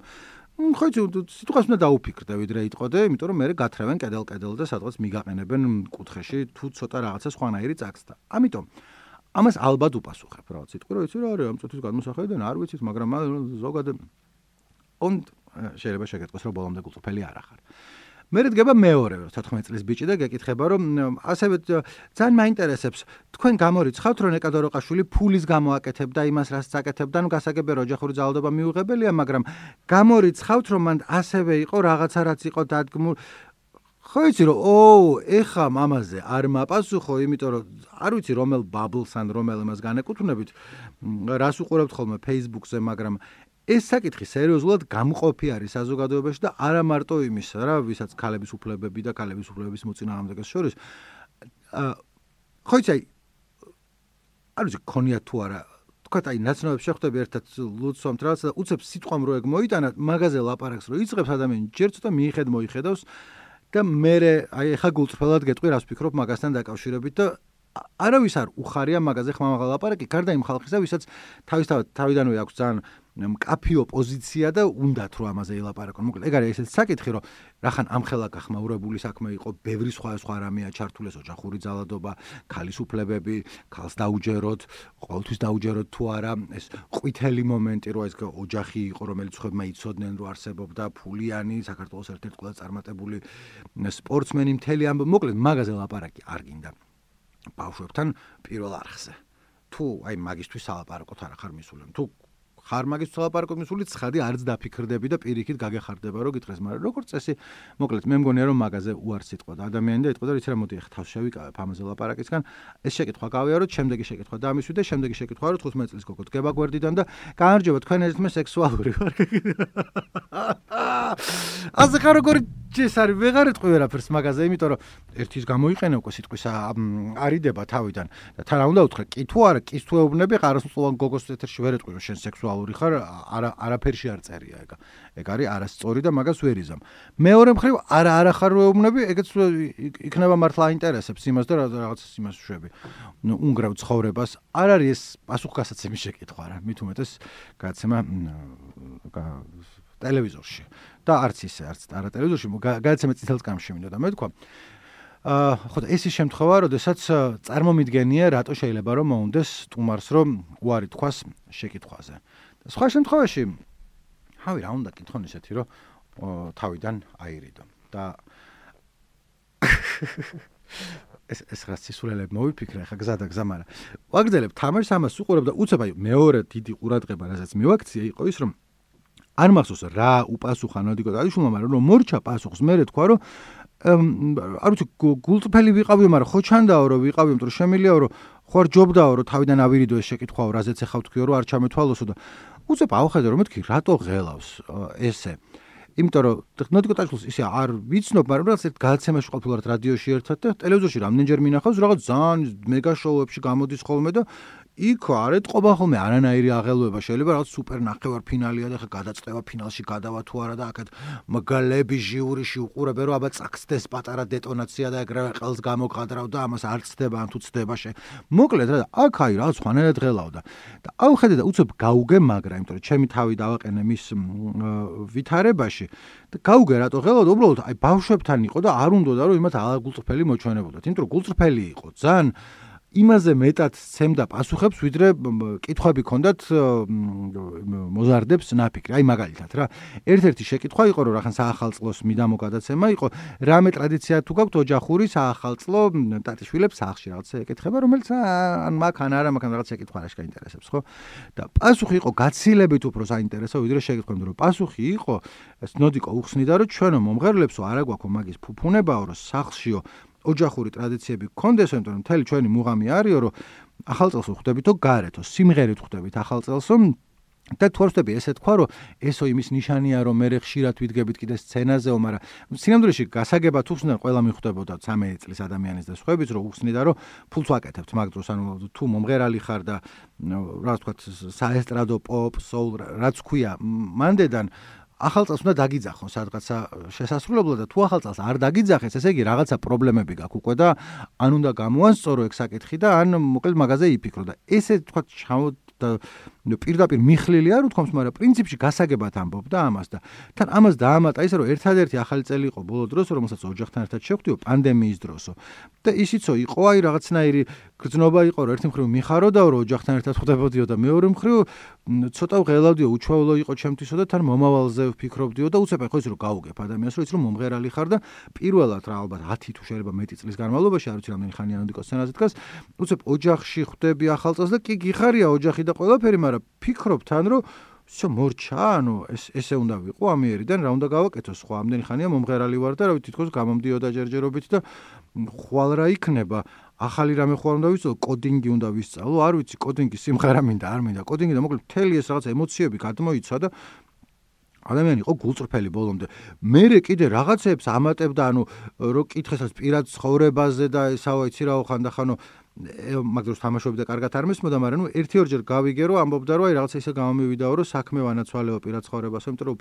ხო იცი სიტყვას უნდა დაუფიქრდე ვიდრე იტყოდე, იმიტომ რომ მე გათრევენ კედელ და სადღაც მიგაყენებენ კუთხეში თუ ცოტა რაღაცა სხვანაირი წაგსდა. ამიტომ ამას ალბათ უპასუხებ რაღაც სიტყვი რომ იცი რა არის ამ წუთის გადმოსახედიდან არ ვიცით, მაგრამ ზოგადად შეიძლება შეგეთქვას რომ ბოლომდე გულწრფელი არ ახარ. მე დგება მეორე 14 წლის ბიჭი და გეკითხება რომ ასევე ძალიან მაინტერესებს თქვენ გამორიცხავთ რომ ნეკა დოროყაშვილი ფულის გამო აკეთებდა იმას რაც აკეთებდა, ნუ გასაგებია ოჯახური ძალადობა მიუღებელია, მაგრამ გამორიცხავთ რომ მან ასევე იყო რაღაცა რაც იყო დადგმული. ხო იცი რომ ეხა მამაზე არ მაპასუხო, იმიტომ რომ არ ვიცი რომელ ბაბლს ან რომელ იმას განეკუთვნებით, რას უყურებთ ხოლმე Facebook-ზე, მაგრამ ეს საკითხი სერიოზულად გამყოფი არის საზოგადოებაში და არა მარტო იმის რა, ვისაც ქალების უფლებები და ქალების უფლებების მოწინააღმდეგეს შორის. ხო იცი, არ ვიცი ქონია თუ არა, თქვათ აი ნაცნობებს შეხვდები ერთად ლუცვამთ რაღაცა და უცებ სიტყვამ რო ეგ მოიტანა, მაგაზე ლაპარაკს რო იწყებს ადამიანი, ჯერ ცოტა მიხედავს და მე აი ეხა გულწრფელად გეტყვი რას ვფიქრობ მაგასთან დაკავშირებით და არავის არ უხარია მაგაზე ხმამაღლა ლაპარაკი, გარდა იმ ხალხისა, ვისაც თავიდანვე აქვს ძალიან მკაფიო პოზიცია და უნდათ რომ ამაზე ელაპარაკონ. მოკლედ ეგ არის ესეთი საკითხი, რომ რახან ამხელა გახმაურებული საქმე იყო, ბევრი სხვა რამეა ჩართული, ოჯახური ძალადობა, ქალის უფლებები, ქალს დაუჯეროთ, ყოველთვის დაუჯეროთ თუ არა, ეს ყვითელი მომენტი, რომ ეს ოჯახი იყო, რომელიც ხებმა იცოდნენ, რომ არსებობდა ფულიანი, საქართველოს ერთ-ერთი ყველაზე წარმატებული სპორტსმენი მთელი ამბ, მოკლედ მაგაზე ლაპარაკი არ გინდა. ბავშვებთან პირველ არხზე. თუ აი მაგისთვის სალაპარაკოთ არ ხარ მისული. თუ ხარ მაგისთვის სალაპარაკოთ მისული, ცხადი არც დაფიქრდები და პირიქით გაგეხარდება რომ გითხრეს, მაგრამ როგორც წესი, მოკლედ მე მგონია რომ მაგაზე უარს იტყოდა ადამიანი და იტყოდა იცი რა მოდი ახლა თავს შევიკავებ ამაზე ლაპარაკისგან. ეს შეკითხვა გავიაროთ, შემდეგი შეკითხვა დამისვი და შემდეგი შეკითხვა რომ 15 წლის გოგო დგება გვერდიდან და გაარჯობა თქვენ ერთმე სექსუალური ვარ. ასე ხარ როგორი ჯეს არის ვეღარ ეტყვი ვერაფერს მაგაზე, იმიტომ რომ ერთის გამოიყენა უკვე სიტყვის არიდება თავიდან და თან უნდა უთხრა კი თუ არა, კის თუ ეუბნები ყარასმწლოვან გოგოს ეთერში ვერ ეტყვი რომ შენ სექსუალური ხარ, არაფერში არ წერია ეგ. ეგ არის არასწორი და მაგას ვერ იზამ. მეორე მხრივ არა ხარ ეუბნები, ეგეც იქნება მართლა აინტერესებს იმას და რაღაცას იმას შვები. ნუ უნგრევ ცხოვრებას არ არის ეს პასუხგასაცემი შეკითხვა რა, მით უმეტეს გადაცემა ტელევიზორში და არც ისე, არც არა ტელევიზორში, გადაცემა წითელ წამში მინდოდა მე თქვა. ხო და ეს ის შემთხვევა, როდესაც წარმომიდგენია, რატო შეიძლება რომ მოუნდეს სტუმარს რომ უარი თქვას შეკითხვაზე. და სხვა შემთხვევაში ჰავი რა უნდა კითხონ ისეთი რომ თავიდან აირიდო და ეს რაც სისულელებ მოვიფიქრე ხა გზა და გზა, მაგრამ ვაგრძელებ თამაშს, ამას უყურებ და უცებ აი მეორე დიდი ყურადღება რასაც მივაქცია იყო ის რომ არ მახსოვს რა უპასუხა ნოდიკო დაიშუმა, მაგრამ რომ მორჩა პასუხს მე თქვა რომ არ ვიცი გულწრფელი ვიყავიო, მაგრამ ხო ჩანდაო რომ ვიყავიო, იმიტომ რომ შემიძლიაო რომ ხო არ ჯობდაო რომ თავიდან ავირიდო ეს შეკითხვაო, რაზეც ეხავ თქვიო რომ არ ჩამეთვალოსო და უცებ ავხედე რომ მეთქი რატო ღელავს ესე. იმიტომ რომ ნოდიკო ტაშულს ისე არ ვიცნობ, მაგრამ რაღაც ერთ გადაცემაში ყოფილვართ რადიოში ერთად და ტელევიზორში რამდენჯერ მინახავს რაღაც ძალიან მეგა შოუებში გამოდის ხოლმე და იქ არ ეტყობა ხოლმე არანაირი აღელვება, შეიძლება რაღაც სუპერ ნახევარფინალია და ხა გადაწყვეტა ფინალში გადავა თუ არა და აქეთ მგლები ჟიურიში უყურებენ რომ აბა წახცდეს პატარა დეტონაცია და ეგრევე ყელს გამოგყადრავ და ამას არ ცდება ან თუ ცდება მოკლედ რა აქ აი რაღაც ხანერად ღელავდა და ავხედე და უცებ გაუგე მაგრა, იმიტომ რომ ჩემი თავი დავაყენე მის ვითარებაში და გაუგე რატო ღელავდა, უბრალოდ აი ბავშვებთან იყო და არ უნდოდა რომ იმათ გულწრფელი მოჩვენებოდათ, იმიტომ რომ გულწრფელი იყო ძალიან იმაზე მეტად ცემდა პასუხებს, ვიდრე კითხვები ქონდათ მოზარდებს ნაფიქრი. აი მაგალითად რა, ერთ-ერთი შეკითხვა იყო რომ რახან საახალწლოს მიდამო გადაცემა იყო, რამე ტრადიცია თუ გაქვთ ოჯახური საახალწლო ტატიშვილებს სახლში რაღაცა ეკითხება, რომელიც ან მაგ ან არა მაგ რაღაც შეკითხვა არ შეინტერესებს, ხო? და პასუხი იყო გაცილებით უფრო საინტერესო, ვიდრე შეკითხვები, რომ პასუხი იყო, ეს ნოდიკო უხსნიდა რომ ჩვენო მომღერლებსო არა გვაქვს მაგის ფუფუნებაო, რომ სახლშიო ოჯახური ტრადიციები გქონდეს, იმიტომ რომ მთელი ჩვენი მუღამი არისო, რომ ახალწელს ვხვდებითო გარეთო, სიმღერით ვხვდებით ახალწელსო და თუ არ ვხვდები ესე თქვა, რომ ესო იმის ნიშანია, რომ მე ხშირად ვიდგებით კიდე სცენაზეო, მაგრამ სინამდვილეში გასაგებად უხსნიდან ყველა მიხვდებოდა 13 წლის ადამიანის და სხვაებიც, რომ უხსნიდა, რომ ფულს ვაკეთებთ მაგ დროს, ანუ თუ მომღერალი ხარ და რა ვთქვათ, საესტრადო, პოპ, soul, რაც ქვია, მანდედან ახალწელს უნდა დაგიძახონ სადღაცა შესასრულებლად და თუ ახალწელს არ დაგიძახეს, ესე იგი რაღაცა პრობლემები გაქვს უკვე და ან უნდა გამოანსწორო ეგ საკითხი და ან მოკლედ მაგაზე იფიქრო და ესე თქვა და პირდაპირ მიხლილი არ უთქვამს, მაგრამ პრინციპში გასაგებად ამბობდა ამას და თან ამას დაამატა ისე რომ ერთადერთი ახალი წელი იყო ბოლო დროს, რომელსაც ოჯახთან ერთად შევხვდიო პანდემიის დროსო და ისიცო იყო აი რაღაცნაირი გრძნობა იყო, რომ ერთი მხრივ მიხაროდაო რომ ოჯახთან ერთად ხვდებოდიო და მეორე მხრივ ცოტა ღელავდიო, უჩვეულო იყო ჩემთვისო და თან მომავალზე ვფიქრობდიო და უცებ ხო ის რომ გაუგებ ადამიანს, რომ ის რომ მომღერალი ხარ და პირველად რა ალბათ 10 თუ შეიძლება მეტი წლის განმავლობაში, არ ვიცი რამდენი ხანია ნოდიკო სცენაზე დგას, უცებ ოჯახში ხვდები ახალწელს და კი გიხარია ოჯახი და ყველაფერი, მაგრამ ფიქრობ თან რომ всё მორჩა, ანუ ესე უნდა ვიყო ამიერიდან, რა უნდა გავაკეთო, სხვა ამდენი ხანია მომღერალი ვარ და რა ვიცი თითქოს გამომდიოდა ჯერჯერობით და ხვალ რა იქნება, ახალი რამე ხვალ უნდა ვისწავლო, კოდინგი უნდა ვისწავლო, არ ვიცი, კოდინგი სიმღერა მინდა, არ მინდა, კოდინგი და მოკლედ მთელი ეს რაღაც ემოციები გადმოიცა და ადამიანი იყო გულწრფელი ბოლომდე. მერე კიდე რაღაცებს ამატებდა, ანუ რო კითხესაც პირად ცხოვრებაზე და ესაო იცი რაო ხანდახანო მაგ დროს თამაშობდი და კარგად არ მესმოდა, მაგრამ ნუ ერთი-ორჯერ გავიგე რომ ამბობდა რომ აი რაღაცა ისე გამომივიდაო რომ საქმე ვანაცვალეო პირად ცხოვრებასო, იმიტომ რომ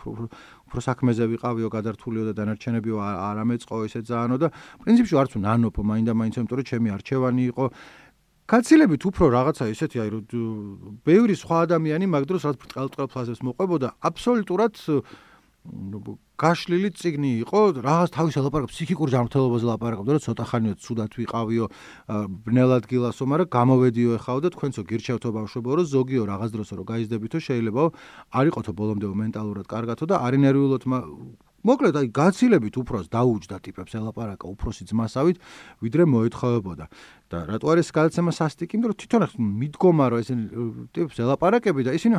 უფრო საქმეზე ვიყავიო, გადართულიო და დანარჩენებიო არ ამეწყო ესე ძალიანო და პრინციპში არც ნანოფო მაინდა-მაინც, იმიტომ რომ ჩემი არჩევანი იყო გაცილებით უფრო რაღაცა ისეთი, აი რომ ბევრი სხვა ადამიანი მაგ დროს რაც ბრტყელ ფაზებს მოყვებოდა, აბსოლუტურად გაშლილი წიგნი იყო, რაღაც თავის ლაპარაკობს, ფსიქიკურ ჯანმრთელობაზე ლაპარაკობდა, რომ ცოტა ხანია ცუდად ვიყავიო, ბნელად გილასო, მაგრამ გამოვედიო ეხაო და თქვენცო გირჩევთო ბავშვებო, რომ ზოგიო რაღაც დროსო რომ გაიზრდებითო შეიძლება არ იყოთო ბოლომდე მენტალურად კარგათო და არ ინერვიულოთ მოკლედ აი გაცილებით უფროს დაუჯდა ტიპებს ელაპარაკა უფროსი ძმასავით, ვიდრე მოეთხოვებოდა. და რატო არის გადაცემა სასტიკი, იმიტომ რომ თვითონ მიდგომა რომ ესენი ტიპებს ელაპარაკები და ისინი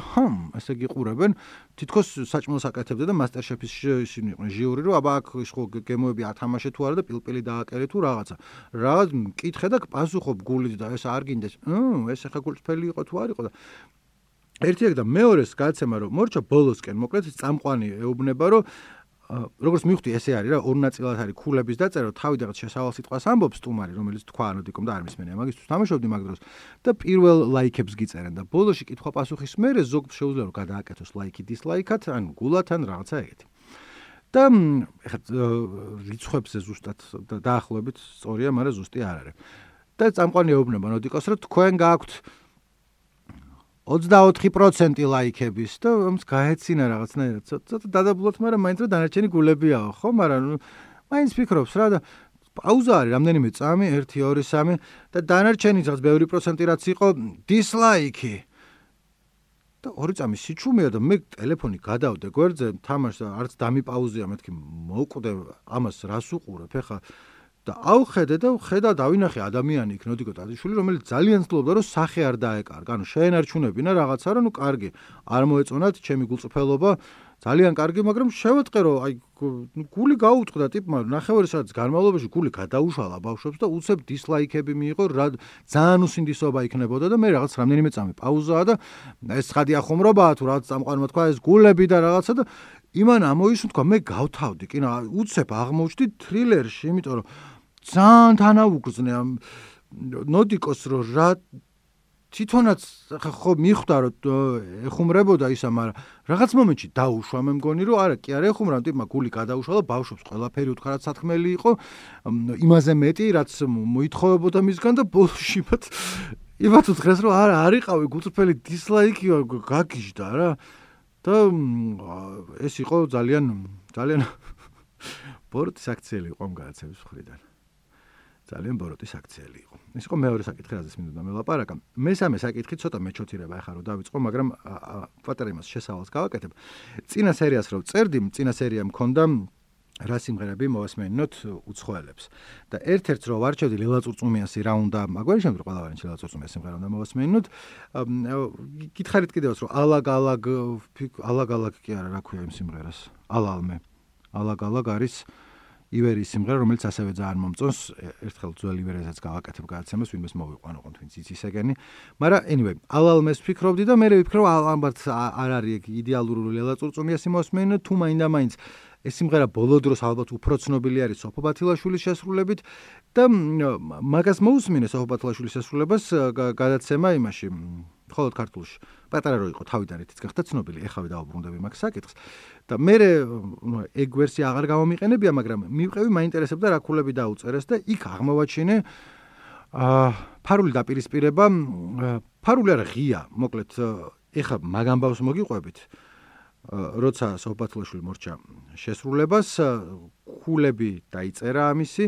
ესე გიყურებენ, თითქოს საჭმელს აკეთებდა და მასტერშეფის ისინი იყვნენ ჟიური, რომ აბა აქ ხო გემოები ათამაშე თუ არა და პილპილი დააკერე თუ რაღაცა. რაღაც მკითხე და პასუხობ გულით და ეს არ გინდეს. ეს ახლა გულწრფელი იყო თუ არ იყო და ერთი ეგ და მეორეს გადაცემა რომ მორჩა ბოლოსკენ, მოკლედ წამყვანი ეუბნება რომ როგორც მივხვდი ესე არის რა ორ ნაწილად არის ქულების დაწერა თავიდანაც შესავალ სიტყვას ამბობს სტუმარი რომელიც თქვა ნოდიკომ და არ მისმენია მაგისთვის თამაშობდი მაგ დროს და პირველ ლაიქებს გიწერენ და ბოლოში კითხვა პასუხის მერე ზოგ შეუძლია რომ გადააკეთოს ლაიქი დისლაიქად ან გულად ან რაღაცა ეგეთი და ეხლა რიცხვებზე ზუსტად დაახლოებით სწორია მაგრამ ზუსტი არ არის და წამყვანი ეუბნება ნოდიკოს რომ თქვენ გააქვთ 24% ლაიქების და ამს გაეცინა რაღაცნაირად ცოტა დადაბლოთ, მაგრამ მაინც რა დანარჩენი გულებიაო, ხო? მაგრამ მაინც ფიქრობს რა და პაუზა არის რამდენიმე წამი 1 2 3 და დანარჩენი რაღაც ბევრი პროცენტი რაც იყო დისლაიქი. და 2 წამი სიჩუმეა და მე ტელეფონი გადავდე გვერდზე, თამაშს არც დამიპაუზია, მეთქი მოვკვდე ამას რას უყურებ, ეხა და ავხედე და ხედა დავინახე ადამიანი იქ ნოდიკო ტაძიშვილი რომელიც ძალიან ცდილობდა რომ სახე არ დაეკარგა ანუ შეენარჩუნებინა რაღაცა რა ნუ კარგი არ მოეწონათ ჩემი გულწრფელობა ძალიან კარგი მაგრამ შევეტყე რომ აი გული გაუწყდა ტიპმა ნახევარი საათის განმავლობაში გული გადაუშალა ბავშვებს და უცებ დისლაიქები მიიღო რა ძალიან უსინდისობა იქნებოდა და მე რაღაც რამდენიმე წამი პაუზაა და ეს ცხადი ახუმრობაა თუ რაღაც წამყვანმა თქვა ეს გულები და რაღაცა და იმან ამოისუნ თქვა მე გავთავდი კი რა უცებ აღმოჩნდი თრილერში იმიტომ რომ ძალიან თანაუგრძნე ამ ნოდიკოს რომ რა თვითონაც ხო მიხვდა რომ ეხუმრებოდა ისა მაგრამ რაღაც მომენტში დაუშვა მე მგონი რომ არა კი არ ეხუმრა ტიპმა გული გადაუშალა ბავშვებს ყველაფერი უთხრა რაც სათქმელი იყო იმაზე მეტი რაც მოითხოვებოდა მისგან და ბოლოში იმათ უთხრეს რომ არა არიყავი გულწრფელი დისლაიკი გაგიჟდა რა და ეს იყო ძალიან ბოროტის აქციელი იყო ამ გადაცემის მხრიდან. ძალიან ბოროტის აქციელი იყო. ეს იყო მეორე საკითხი, რაზეც მინდოდა მელაპარაკა. მესამე საკითხი ცოტა მეჩოთირება ახლა რომ დავიწყო, მაგრამ პატარა იმას შესავალს გავაკეთებ. წინა სერიას რომ წერდი, წინა სერია მქონდა რა სიმღერები მოვასმენინოთ უცხოელებს. და ერთ-ერთს რო ვარჩევდი ლელა წურწუმიანსი რა უნდა, მაგვარი შემდგომ ყველავანი ლელა წურწუმიანსი სიმღერა უნდა მოვასმენინოთ. გითხარით კიდევაც რომ ალაგ კი არა, რა ქვია იმ სიმღერას? ალაგ არის ივერის სიმღერა, რომელიც ასევე ძალიან მომწონს. ერთხელ ძველ ივერესაც გავაკეთებ გადაცემას, ვინმეს მოვიყვანო ყოთ ვინც იცის ეგენი. მაგრამ anyway, ალალმეს ვფიქრობდი და მე ვფიქრობ ალბათ არ არის იდეალური ლელა წურწუმიანსი მოვასმენინოთ, თუ მაინდა-მაინც ეს სიმღერა ბოლო დროს ალბათ უფრო ცნობილი არის სოფო ბათილაშვილის შესრულებით და მაგას მოусმინე სოფო ბათილაშვილის შესრულებას გადაცემა იმაში მხოლოდ ქართულში. პატარა რო იყო თავიდან ერთიც გახდა ცნობილი, ეხავე დავუბრუნდები მაგ საკითხს. და მე ეგ ვერსია აღარ გამომიყენებია, მაგრამ მივყევი მაინტერესებდა რა ქულები დაუწერეს და იქ აღმოვაჩინე ფარული დაპირისპირება, ფარული არა ღია, მოკლედ ეხა მაგ ამბავს მოგიყვებით. როცა სოფო ბათილაშვილი მორჩა შესრულებას, ქულები დაიწერა ამისი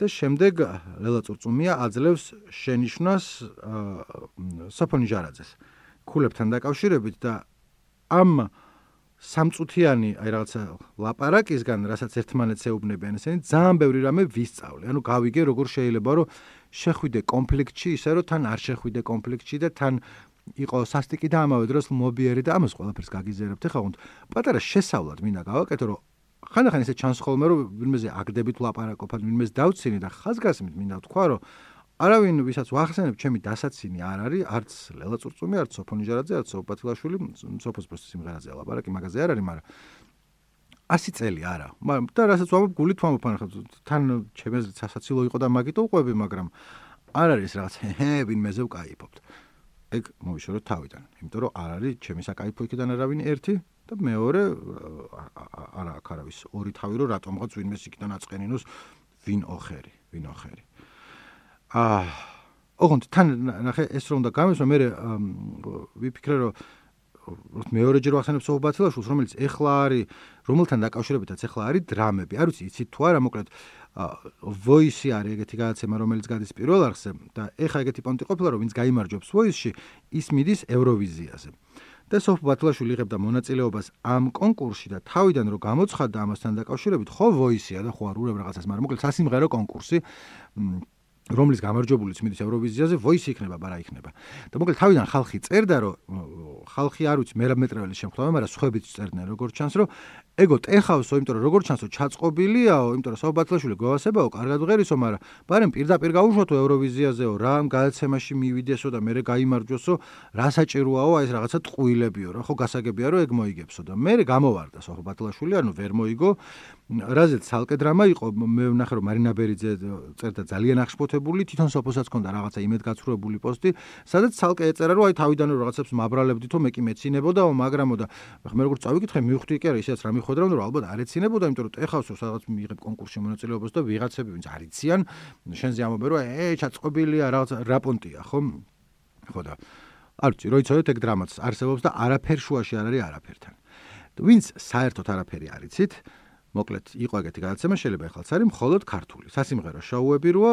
და შემდეგ ლელა წურწუმია აძლევს შენიშვნას სოფო ნიჟარაძეს ქულებთან დაკავშირებით და ამ სამწუთიანი აი რაღაცა ლაპარაკისგან, რასაც ერთმანეთს ეუბნებიან ესენი, ძალიან ბევრი რამე ვისწავლე. ანუ გავიგე როგორ შეიძლება რომ შეხვიდე კონფლიქტში, ისე რომ თან არ შეხვიდე კონფლიქტში და თან იყო სასტიკი და ამავე დროს მობიერი და ამას ყველაფერს გაგიზიარებთ. ეხლა ხონდ პატარა შესავლად მინდა გავაკეთო, რომ ხანდახან ესე ჩანს ხოლმე რომ ვინმეზე აგდებით ლაპარაკობთ, ვინმეს დავცინი და ხაზგასმით მინდა თქვა, რომ არავინ ვისაც ვახსენებ ჩემი დასაცინი არ არის, არც ლელა წურწუმი, არც სოფო ნიჟარაძე, არც სოფო ბათილაშვილი, სოფოს პროსტ სიმღერაზე ლაპარაკი მაგაზე არ არის, მაგრამ 100 წელი არა. მაგრამ და რასაც ვამბობ, გულით ვამბობ, თან ჩემი აზრით სასაცილო იყო და მაგით უყვები, მაგრამ არ არის რაღაც ვინმეზე ვკაიფობთ. ეგ მოვიშოროთ თავიდან, იმიტომ რომ არ არის ჩემი საკაიფო იქიდან არავინ ერთი და მეორე არა აქ არავის ორი თავი რომ რატომღაც ვინმეს იქიდან აწყენინოს ვინ ოხერი. ოღონდ თან ნახე ეს რომ უნდა გამესვა მე ვიფიქრე რომ მეორეჯერ ვახსენებ სოფო ბათილაშვილს რომელიც ეხლა არის რომელთან დაკავშირებითაც ეხლა არის დრამები არ ვიცი იცით თუ არა მოკლედ voice არის ეგეთი გადაცემა რომელიც გადის პირველ არხზე და ეხლა ეგეთი პონტი ყოფილა რომ ვინც გაიმარჯვებს voice-ში ის მიდის ევროვიზიაზე და სოფო ბათილაშვილი იღებდა მონაწილეობას ამ კონკურსში და თავიდან რომ გამოცხადდა ამასთან დაკავშირებით ხო voice-ია და ხო არ ურევ რაღაცას მაგრამ მოკლედ სასიმღერო კონკურსი რომლის გამარჯვებულიც მიდის ევროვიზიაზე, voice იქნება, ბარა იქნება. და მოკლედ თავიდან ხალხი წერდა, რომ ხალხი არ ვიცი მერაბმეტრეველის შემთხვევა, მაგრამ სხვაებიც წერდნენ როგორც ჩანს, რომ ეგო ტეხავსო, იმიტომ რომ როგორც ჩანს, ჩაწყობილიაო, იმიტომ რომ საბათლაშვილი გვევასებაო, კარგად ღერისო, მაგრამ ბარემ პირდაპირ გაუშვათო ევროვიზიაზეო, რა გადაცემაში მივიდესო და მე გაიმარჯვოსო, რა საჭიროაო, აი ეს რაღაცა ტყუილებიო რა, ხო გასაგებია რომ ეგ მოიგებსო და მე გამოვარდა საბათლაშვილი, ანუ ვერ მოიგო. რაზეც ცალკე დრამა იყო, მე ვნახე რომ მარინა ბერიძე წერდა ძალიან აღშფოთებული, თვითონ სოფოსაც ჰქონდა რაღაცა იმედგაცრუებული პოსტი, სადაც ცალკე ეწერა რომ აი თავიდან რომ რაღაცებს მაბრალებდითო, მე კი მეცინებოდაო, მაგრამო და მე როგორც წავიკითხე, მივხვდი კი არა, ისეც რა მიხვედრავ, რომ ალბათ არ ეცინებოდა, იმიტომ რომ ტეხავსო სადაც მიიღებ კონკურსში მონაწილეობას და ვიღაცები ვინც არიციან, შენზე ამობენ რომ ჩაწყობილია რაღაცა რაპონტია, ხო? ხო და არ ვიცი, რო იცოდეთ ეგ დრამაც არსებობს და არაფერ შუაში არ არის არაფერთან. ვინც საერთოდ არაფერი არ იცით, მოკლედ იყო ეგეთი გადაცემა, შეიძლება ეხლაც არის მხოლოდ ქართული. სასიმღერო შოუები როა,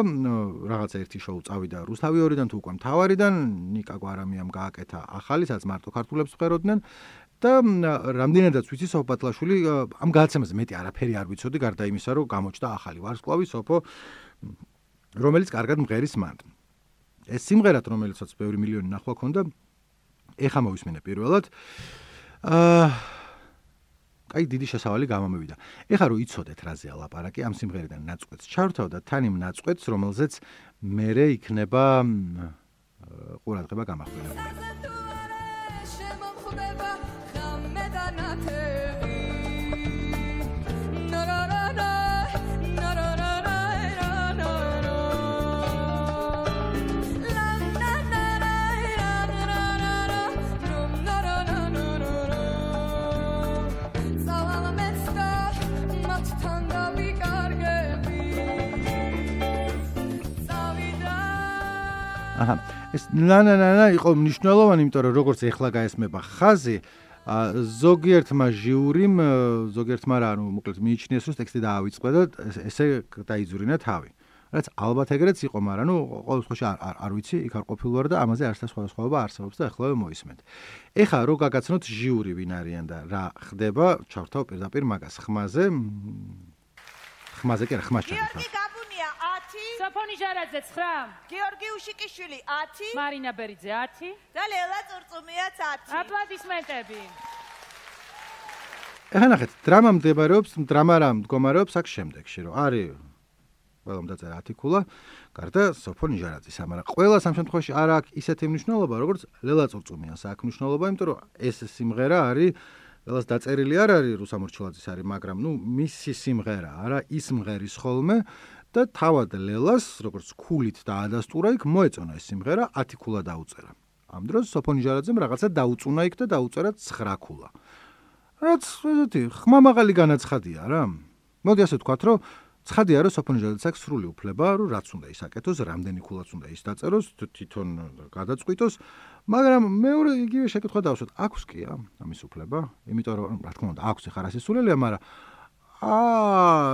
რაღაცა ერთი შოუ წავიდა რუსთავიორიდან თუ უკვე მთავარიდან, ნიკა გვარამიამ გააკეთა ახალი, სადაც მარტო ქართულებს ფეროდნენ და რამდენადაც ვიცი სოფბატლაშვილი ამ გადაცემაზე მეტი არაფერი არ ვიცოდი, გარდა იმისა, რომ გამოჩნდა ახალი ვარსკვლავი სოფო, რომელიც კარგად მღერის მანდ. ეს სიმღერად, რომელიცაც ბევრი მილიონი ნახვა ქონდა, ეხა მოვისმინე პირველად. აი დიდი შესავალი გამომივიდა. ეხლა რომ იცოდეთ რაზეა ლაპარაკი, ამ სიმღერიდან ნაწყვეტს ჩავრთავ და თან იმ ნაწყვეტს, რომელზეც მერე იქნება ყურადღება გამახვილებული. ეს ნანა იყო მნიშვნელოვანი, იმიტომ რომ როგორც ეხლა გაესმება ხაზი, ზოგიერთმა ჟიურიმ, ზოგიერთმა რა, ანუ მოკლედ მიიჩნიეს, რომ ტექსტი დაავიწყდა და ესე დაიძურინა თავი. რაც ალბათ ეგრეც იყო, მაგრამ ნუ ყოველ შემთხვევაში არ ვიცი, იქ არ ყოფილვარ და ამაზე არც სხვადასხვაობა არსებობს და ეხლა მოისმენთ. ეხლა რო გაგაცნოთ ჟიური ვინ არიან და რა ხდება, ჩავრთავ პირდაპირ მაგას ხმაზე კი არა, ხმას ჩავთავ. სოფონი ჟარაძე 9, გიორგი უშიკიშვილი 10, მარინა ბერიძე 10 და ლელა წურწუმიაც 10. აპლოდისმენტები. ეხლა ნახეთ, დრამა რა მდგომარეობს აქ შემდეგში, რომ არის ყველამ დაწერა 10 ქულა, გარდა სოფონი ჟარაძის, მაგრამ ყველას ამ შემთხვევაში არ აქვს ისეთი მნიშვნელობა, როგორც ლელა წურწუმიანს აქვს მნიშვნელობა, იმიტომ რომ ეს სიმღერა არის ლელას დაწერილი არ არის რუსამორჩილაძის არის, მაგრამ ნუ მისი სიმღერა არა, ის მღერის ხოლმე და თავად ლელას, როგორც ქულით დაადასტურა იქ, მოეწონა ეს სიმღერა, 10 ქულა დაუწერა. ამ დროს სოფონი ჟარაძემ რაღაცა დაუწუნა იქ და დაუწერა 9 ქულა. რაც ესეთი ხმამაღალი განაცხადია რა. მოდი ასე ვთქვათ, რომ ცხადია, რომ სოფონი ჟარაძეს აქვს სრული უფლება, რომ რაც უნდა ის აკეთოს, რამდენი ქულაც უნდა ის დაწეროს, თვითონ გადაწყვიტოს, მაგრამ მეორე იგივე შეკითხვა დავსვათ, აქვს კი ამის უფლება, იმიტომ რომ რა თქმა უნდა, აქვს ხარ ასისულელია, მაგრამ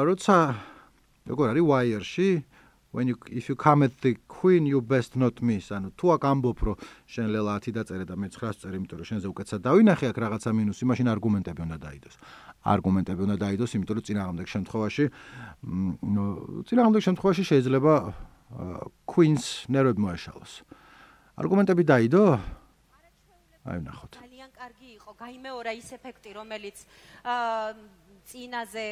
როცა როგორ არის Wire-ში, if you come at the queen you best not miss, ანუ თუ აქ ამბობ, რომ შენ ლელა 10 დაწერე და მე 9 წერ, იმიტომ რომ შენზე უკეთესად დავინახე აქ რაღაცა მინუსი, მაშინ არგუმენტები უნდა დაიდოს. არგუმენტები უნდა დაიდოს, იმიტომ რომ წინააღმდეგ შემთხვევაში შეიძლება queen-ს ნერვები მოეშალოს. არგუმენტები დაიდო? აი ნახოთ. ძალიან კარგი იყო, გაიმეორა ის ეფექტი, რომელიც წინაზე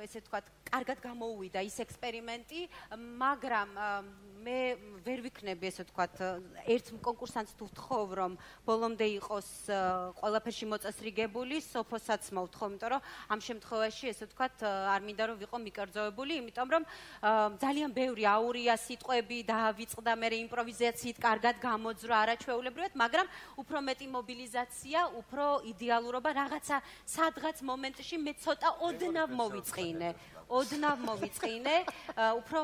ესე ვთქვათ, კარგად გამოუვიდა ის ექსპერიმენტი, მაგრამ მე ვერ ვიქნები ესე ვთქვათ, ერთ კონკურსანტს თუ ვთხოვ, რომ ბოლომდე იყოს ყველაფერში მოწესრიგებული, სოფოსაც მოვთხოვ, იმიტომ რომ ამ შემთხვევაში ესე ვთქვათ, არ მინდა რომ ვიყო მიკერძოებული, იმიტომ რომ ძალიან ბევრი აურია სიტყვები დაავიწყდა, მე იმპროვიზაციით კარგად გამოძვრა არაჩვეულებრივად, მაგრამ უფრო მეტი მობილიზაცია, უფრო idеალურობა, რაღაცა სადღაც მომენტში მე ცოტა ოდნავ მოვიწყინე, უფრო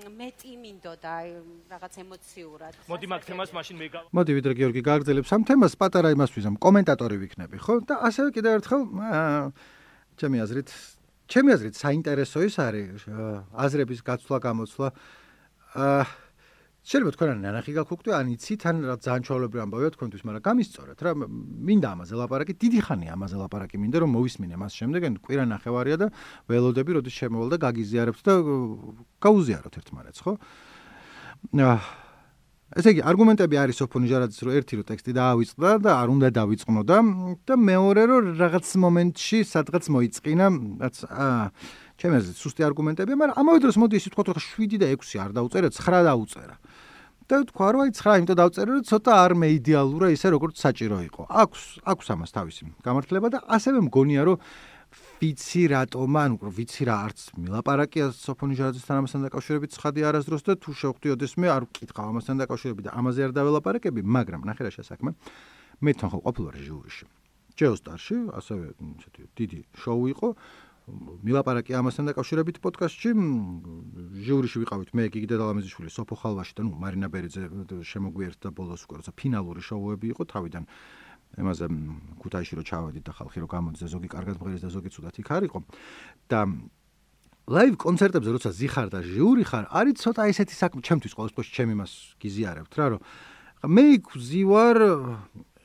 მეტი მინდოდა რაღაც ემოციურად. მოდი მაგ თემას მაშინ მოდი ვიდრე გიორგი გააგრძელებს ამ თემას, პატარა იმას ვიზამ, კომენტატორი ვიქნები, ხო? და ასევე კიდევ ერთხელ ჩემი აზრით საინტერესო ის არის აზრების გაცვლა, გამოცვლა. შეიძლება თქვენ ან ნანახი გაქვუკვდე, ან იცით, ან რა ძალიან ჩვეულებრივი ამბავია თქვენთვის, მაგრამ გამისწორეთ რა, მინდა ამაზე ლაპარაკი, დიდი ხანია ამაზე ლაპარაკი მინდა, რომ მოვისმინე მას შემდეგ, ან კვირა ნახევარია და ველოდები, როდის შემოვალ და გაგიზიარებთ და გაუზიაროთ ერთმანეთს, ხო? ესე იგი, არგუმენტები არის სოფო ნიჟარაძის, რომ ერთი რომ ტექსტი დაავიწყდა და არ უნდა დავიწყნოდა და მეორე რომ რაღაც მომენტში სადღაც მოიწყინა, რაც ჩემი აზრით სუსტი არგუმენტებია, მაგრამ ამავე დროს მოდი ისე ვთქვათ, რომ 7 და 6 არ დაუწერა, 9 დაუწერა. და თქვა რომ აი 9 იმიტომ დავწერე, რომ ცოტა არ მეიდეალურა ისე როგორც საჭირო იყო. აქვს ამას თავისი გამართლება და ასევე მგონია რომ ვიცი რატომ, ვიცი რა არც მილაპარაკია სოფო ნიჟარაძესთან ამასთან დაკავშირებით ცხადი არასდროს და თუ შევხვდი ოდესმე არ ვკითხავ ამასთან დაკავშირებით და ამაზე არ დაველაპარაკები, მაგრამ ნახე რა შესაქმე. მე თან ხო ყოფილვარ ჟიურიში. ჯეოსტარში, ასევე ესეთი დიდი შოუ იყო. მილაპარაკი ამასთან დაკავშირებით პოდკასტში. ჟიურიში ვიყავით მე, გიგი დედალამაზიშვილი, სოფო ხალვაში და მარინა ბერიძე შემოგვიერთდა ბოლოს უკვე, როცა ფინალური შოუები იყო თავიდან. ემაზე ქუთაისში რო ჩავედით და ხალხი რო გამოდის და ზოგი კარგად მღერის და ზოგი ცუდად იქ არისო და ლაივ კონცერტებზე როცა ზიხარ და ჟიური ხარ არის ცოტა ესეთი საქმე ჩემთვის ყოველ შემთხვევაში ჩემ იმას გიზიარებთ რა რომ მე იქ ვზივარ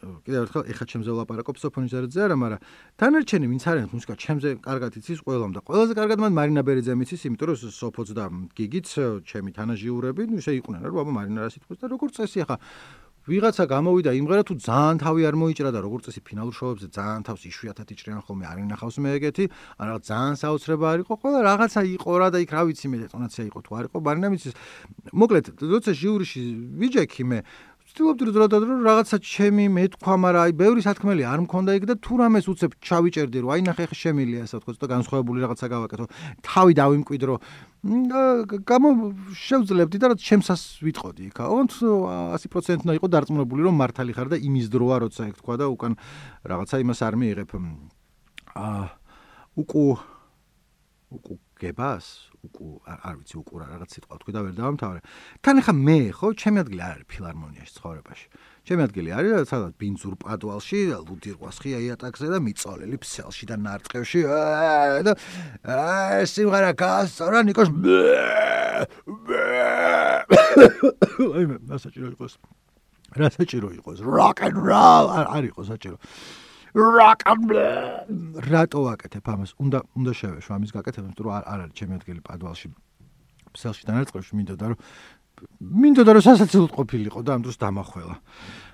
კიდევ ერთხელ ეხა ჩემზე ვლაპარაკობ სოფო ნიჟარაძეზე არა მაგრამ დანარჩენი ვინც არიან მუსიკა ჩემზე კარგად იცის ყველამ და ყველაზე კარგად მან მარინა ბერიძემ იცის იმიტომ რომ სოფოც და გიგიც ჩემი თანაჟიურები ნუ ისე იყვნენ რომ აბა მარინა რა სიტყვის და როგორც წესი ახლა ვიღაცა გამოვიდა იმღერა თუ ძალიან თავი არ მოიჭრა და როგორც წესი ფინალურ შოუებზე ძალიან თავს იშვიათად იჭრიან ხოლმე არ ინახავს მე ეგეთი ან რაღაც ძალიან საოცრება არ იყო ყველა რაღაცა იყო რა და იქ რა ვიცი მე დეტონაცია იყო თუ არ იყო მარინამ იცის მოკლედ როცა ჟიურიში ვიჯექი მე ვცდილობდი რომ რაღაცა ჩემი მეთქვა მაგრამ აი ბევრი სათქმელი არ მქონდა იქ და თუ რამეს უცებ ჩავიჭერდი რომ აი ნახე ხე შემილია ასე თქო ცოტა განსხვავებული რაღაცა გავაკეთო თავი დავიმკვიდრო შევძლებდი და რაც ჩემსას ვიტყოდი იქა ოღონდ 100% უნდა იყო დარწმუნებული რომ მართალი ხარ და იმის დროა როცა ეგ თქვა და უკან რაღაცა იმას არ მიიღებ გებას არ ვიცი უკუ რაღაც სიტყვა თქვი და ვერ დავამთავრე თან ახლა მე ხო ჩემი ადგილი არ არის ფილარმონიაში ცხოვრებაში ჩემი ადგილი არის სადაც ბინძურ პადვალში ლუდირყვას ხია იატაკზე და მიწოლელი ფსელში და ნარტყევში და სიმღერა გასწორა ნიკოს აი მე რა საჭირო იყოს rock and roll არ იყო საჭირო rock and roll რატო ვაკეთებ ამას უნდა შევეშვა ამის გაკეთება იმიტომ რომ არ არის ჩემი ადგილი პადვალში ფსელში და ნარტყევში მინდოდა რომ სასაცილოდ ყოფილიყო და ამ დროს დამახველა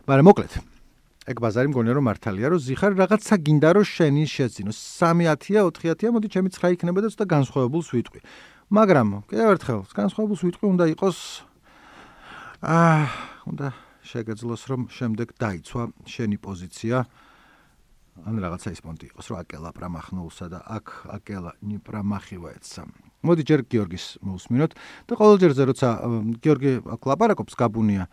მაგრამ მოკლედ ეგ ბაზარი მგონია რომ მართალია რომ ზიხარ რაღაცა გინდა რომ შენი შეძინო 3-10-ია 4-10-ია მოდი ჩემი 9 იქნება და ცოტა განსხვავებულს ვიტყვი მაგრამ კიდევ ერთხელ განსხვავებულს ვიტყვი უნდა იყოს უნდა შეგეძლოს რომ შემდეგ დაიცვა შენი პოზიცია ან რაღაცა ის პონტი იყოს რომ აკელა პრამახნულსა და აკელა ნიპრამახივაეცა მოდი ჯერ გიორგის მოვსმინოთ და ყოველჯერზე როცა გიორგი აქ ლაპარაკობს გაბუნია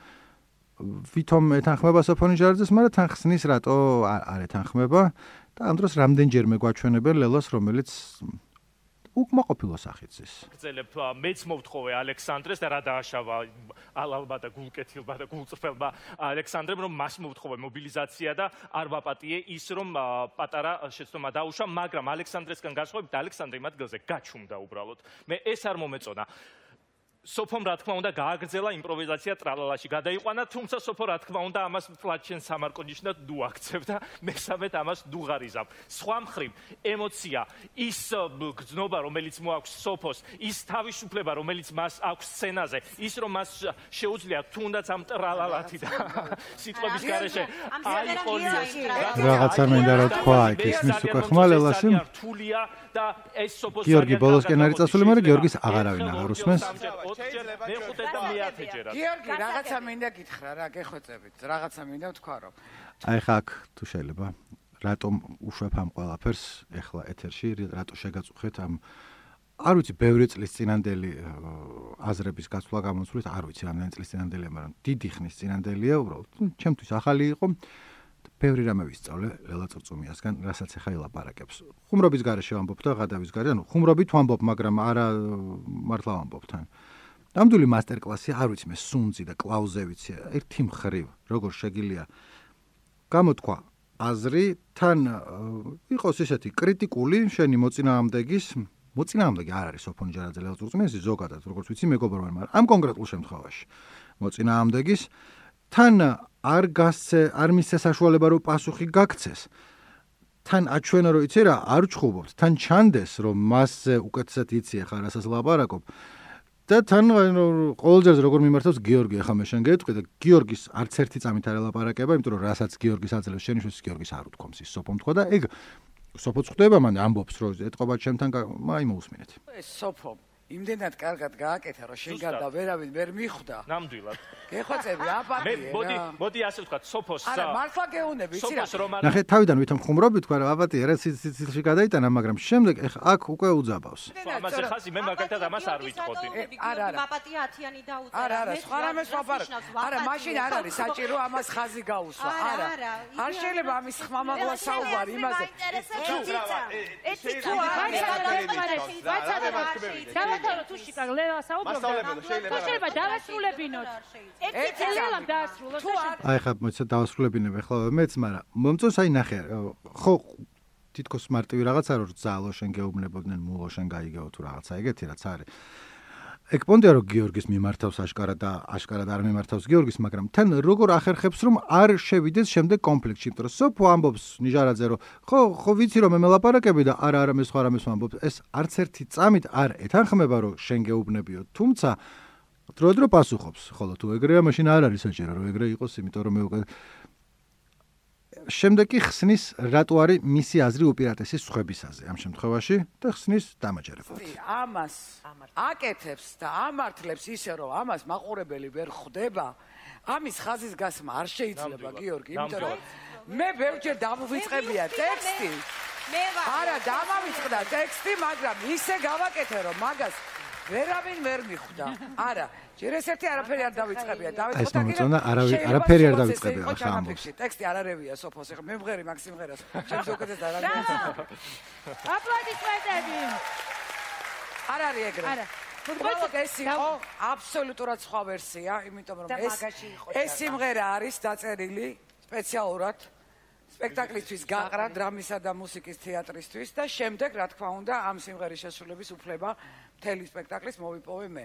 ვითომ ეთანხმება სოფო ნიჟარაძეს მაგრამ თან ხსნის რატო არ ეთანხმება და ამ დროს რამდენჯერმე გვაჩვენებენ ლელას რომელიც უკმაყოფილო სახით ზის. გძელებ მეც მოვთხოვე ალექსანდრეს და რა დააშავა ალალბა და გულკეთილბა და გულწრფელბა ალექსანდრემ რომ მას მოვთხოვე მობილიზაცია და არ ვაპატიე ის რომ პატარა შეცდომა დაუშვა, მაგრამ ალექსანდრესგან განსხვავებით ალექსანდრე იმ ადგილზე გაჩუმდა უბრალოდ. მე ეს არ მომეწონა. სოფომ რა თქმა უნდა გააგრძელა იმპროვიზაცია ტრალალაში გადაიყვანა, თუმცა სოფო რა თქმა უნდა ამას ფლატჩენ სამარკონიშნად დუაქცევდა, მესამედ ამას დუღარიზავ. სხვა მხრივ, ემოცია, ის გრძნობა, რომელიც მოაქვს სოფოს, ის თავისუფლება, რომელიც მას აქვს სცენაზე, ის რომ მას შეუძლია თუნდაც ამ ტრალალათი და სიტყვების გარეშე აიყოლიოს. რაღაცა მინდა რა თქვა იქ ისმის უკვე ხმალელაში. გიორგი ბოლოსკენ არის წასული, მაგრამ გიორგის აღარავინ აღარ უსმენს. გიორგი, რაღაცა მინდა გითხრა რა, გეხვეწებით. რაღაცა მინდა ვთქვა რომ. აი ხა აქ თუ შეიძლება, რატომ უშვებ ამ ყველაფერს ეხლა ეთერში, რატო შეგაწუხეთ ამ არ ვიცი, ბევრი წლის წინანდელი აზრების გაცვლა გამოსვლით, არ ვიცი რამდენი წლის წინანდელია, მაგრამ დიდი ხნის წინანდელია, უბრალოდ ჩემთვის ახალი იყო. ბევრი რამე ვისწავლე ლელა წურწუმიასგან, რასაც ახლა ელაპარაკებს. ხუმრობის გარეშე ვამბობ და ღადავის გარეშე, ანუ ხუმრობით ვამბობ, მაგრამ არა მართლა ვამბობ თან. ნამდვილი მასტერკლასი, არ ვიცი მე სუნძი და კლაუზევიცი, ერთი მხრივ, როგორ შეგიძლია გამოთქვა აზრი, თან იყოს ესეთი კრიტიკული შენი მოწინააღმდეგი არ არის სოფო ნიჟარაძე ლელა წურწუმიასი ზოგადად, როგორც ვიცი მეგობრობენ, მაგრამ ამ კონკრეტულ შემთხვევაში მოწინააღმდეგის თან არ მისცეს საშუალება რომ პასუხი გაქცეს თან აჩვენა რომ იცი რა არ ჩხუბობთ თან ჩანდეს რომ მასზე უკეთესად იცი ახლა რასაც ლაპარაკობ და თან ყოველჯერ როგორ მიმართავს გიორგი ახლა მე შენ გეტყვი და გიორგის არც ერთი წამით არ ელაპარაკება იმიტომ რომ რასაც გიორგის აძლევს შენიშვნას გიორგის არ უთქვამს ის სოფომ თქვა და ეგ სოფოც ხვდება მან ამბობს რომ ეთყობა ჩემთან აი მოусმინეთ ეს სოფო იმდენად კარგად გააკეთა რომ შენ გარდა ვერავინ ვერ მიხვდა ნამდვილად გეხვეწები აპატია მოდი ასე ვთქვათ სოფოს არა მართლა გეუნები იცი რა ნახე თავიდან ვითომ ხუმრობი თქვა რა აპატია რა სიცილში გადაიტანა მაგრამ შემდეგ აქ უკვე უძაბავს ამაზე ხაზი მე მაგალითად ამას არ ვიტყოდი არა აპატია 10-იანი დაუწერა არა სხვა რამეს ვაპარაკ არა მაშინ არ არის საჭირო ამას ხაზი გაუსვა არა არ შეიძლება ამის ხმამაღლა საუბარი იმაზე დავათავო თუ შეკაგლევა საუბრობ შეიძლება დავასრულებინოთ ელელამ დაასრულოს აი ხა მოიცა დავასრულებინებ ახლა მეც მაგრამ მომწონს აი ნახე ხო თითქოს მარტივი რაღაცა რომ ძალო შენ გეუბნებოდნენ მულო შენ გაიგეო თუ რაღაცა ეგეთი რაც არის ეგ პონტია რომ გიორგის მიმართავს აშკარად და აშკარად არ მიმართავს გიორგის მაგრამ თან როგორ ახერხებს რომ არ შევიდეს შემდეგ კონფლიქტში იმიტომ რომ სოფო ამბობს ნიჟარაძე რომ ხო ვიცი რომ მე მელაპარაკები და არა მე სხვა რამეს ვამბობ ეს არც ერთი წამით არ ეთანხმება რომ შენ გეუბნებიო თუმცა დრო პასუხობს ხოლო თუ ეგრეა მაშინ არ არის საჭირო რომ ეგრე იყოს იმიტომ რომ მე უკვე შემდეგ კი ხსნის რატო არის მისი აზრი უპირატესი სხვებისაზე ამ შემთხვევაში და ხსნის დამაჯერებლად. ამას აკეთებს და ამართლებს ისე რომ ამას მაყურებელი ვერ ხვდება. ამის ხაზის გასმა არ შეიძლება გიორგი, იმიტომ რომ მე ბევრჯერ დამოვიწყებია ტექსტი. არა, დამავიწყდა ტექსტი, მაგრამ ისე გავაკეთე რომ მაგას ვერავინ ვერ მიხვდა. არა, ჯერ ეს ერთი არაფერი არ დავიწყებია. დავიწყდა კი არაფერი არ დავიწყებია ახლა ამბობს. ტექსტი არარევია სოფოს, ეხლა მე მღერი მაგ სიმღერას. ჩემს უკეთეს და რა. აპლოდისმენტები. არ არის ეგრე. არა. უბრალოდ ეს იყო აბსოლუტურად სხვა ვერსია, იმიტომ რომ ეს სიმღერა არის დაწერილი სპეციალურად სპექტაკლისთვის გაყრა დრამისა და მუსიკის თეატრისთვის და შემდეგ რა თქმა უნდა ამ სიმღერის შესრულების უფლება მთელი სპექტაკლის მოვიპოვე მე.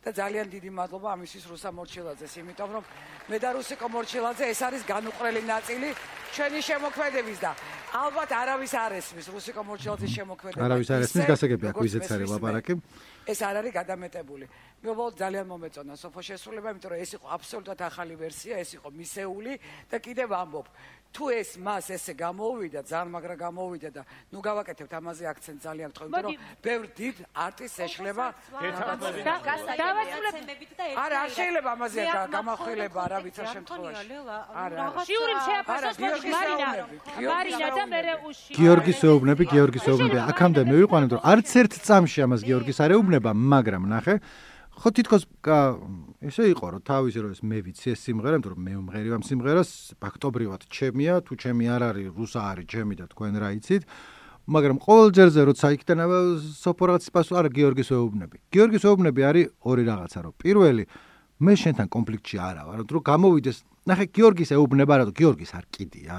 და ძალიან დიდი მადლობა ამისთვის რუსა მორჩილაძეს, იმიტომ რომ მე და რუსიკო მორჩილაძე ეს არის განუყრელი ნაწილი ჩვენი შემოქმედების და ალბათ არავის არ ესმის რუსიკო მორჩილაძის შემოქმედება. არავის არ ესმის, გასაგებია კვიზიც არის ლაპარაკი. ეს არ არის გადამეტებული. მე უბრალოდ ძალიან მომეწონა სოფოს შესრულება, იმიტომ რომ ეს იყო აბსოლუტურად ახალი ვერსია, ეს იყო მისეული და კიდევ ამბობ თუ ეს მას ესე გამოუვიდა, ძალიან მაგრა გამოუვიდა და ნუ გავაკეთებთ ამაზე აქცენტ ძალიან რთხოვ, იმიტომ რომ ბევრ დიდ არტისტს ეშლება არა, არ შეიძლება ამაზე გამახვილება რა ვიცი შემთხვევაში. არა. შიურიმ შეაფასოს მარინა და მერე უში. გიორგის ეუბნები, აქამდე მე ვიყვანებ რომ არც ერთ წამში ამას გიორგის არ ეუბნება, მაგრამ ნახე ხო თითქოს ესე იყო რომ თავისი რომ ეს მე ვიცი ეს სიმღერა, იმიტომ რომ მე ვმღერი ამ სიმღერას, ფაქტობრივად ჩემია, თუ ჩემი არ არის, რუსა არის ჩემი და თქვენ რა იცით. მაგრამ ყოველ ჯერზე როცა იქიდან სოფო რაღაც პასუხი არა გიორგის ეუბნები. გიორგის ეუბნები არის ორი რაღაცა, რომ პირველი მე შენთან კონფლიქტში არა ვარ, რომ გამოვიდეს, ნახე გიორგის ეუბნება რა, გიორგის არ კიდია.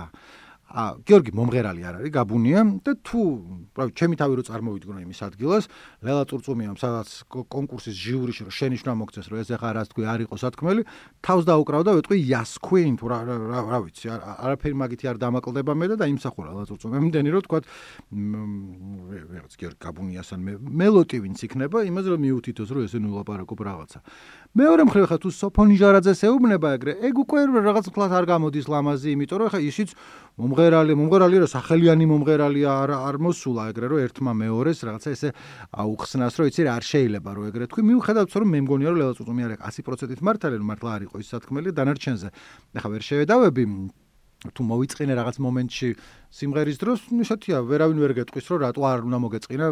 გიორგი მომღერალი არ არის, გაბუნია და თუ, pravda, ჩემი თავი რო წარმოვიდგინო იმის ადგილას, ლელა წურწუმიამ სადაც კონკურსის ჟიურიში რო შენიშვნა მოგწეს, რომ ეს ახლა რას თქვი არ იყო სათქმელი, თავს დაუკრავდა ვეთქვი Yas Queen თუ რა ვიცი, არაფერი მაგითი არ დამაკლდება მე და იმსახურა ლელა წურწუმიამ, იმდენი რომ თქვა რაღაც გიორგი გაბუნიასთან მელოტი ვინც იქნება, იმას რომ მიუთითოს რომ ესე ნუ ლაპარაკობ რაღაცა. მეორე მხრივ ხა თუ სოფონი ჟარაძეს ეუბნება ეგრე, ეგ უკვე რაღაც კლას არ გამოდის ლამაზი, იმიტომ რომ ხა ისიც მომღერალი რა სახელიანი მომღერალია არ მოსულა ეგრე რომ ერთმა მეორეს რაღაცა ესე აუხსნას რომ იცი რა არ შეიძლება რომ ეგრე თქვი მიუხედავად რომ მე მგონია რომ ლელა წუწუმი არ 100%-ით მართალი რომ მართლა არ იყო ის სათქმელი დანარჩენზე ეხა ვერ შევედავები თუ მოვიწყინე რაღაც მომენტში სიმღერის დროს ისეთია ვერავინ ვერ გეტყვის რომ რატო არ უნდა მოგეწყინა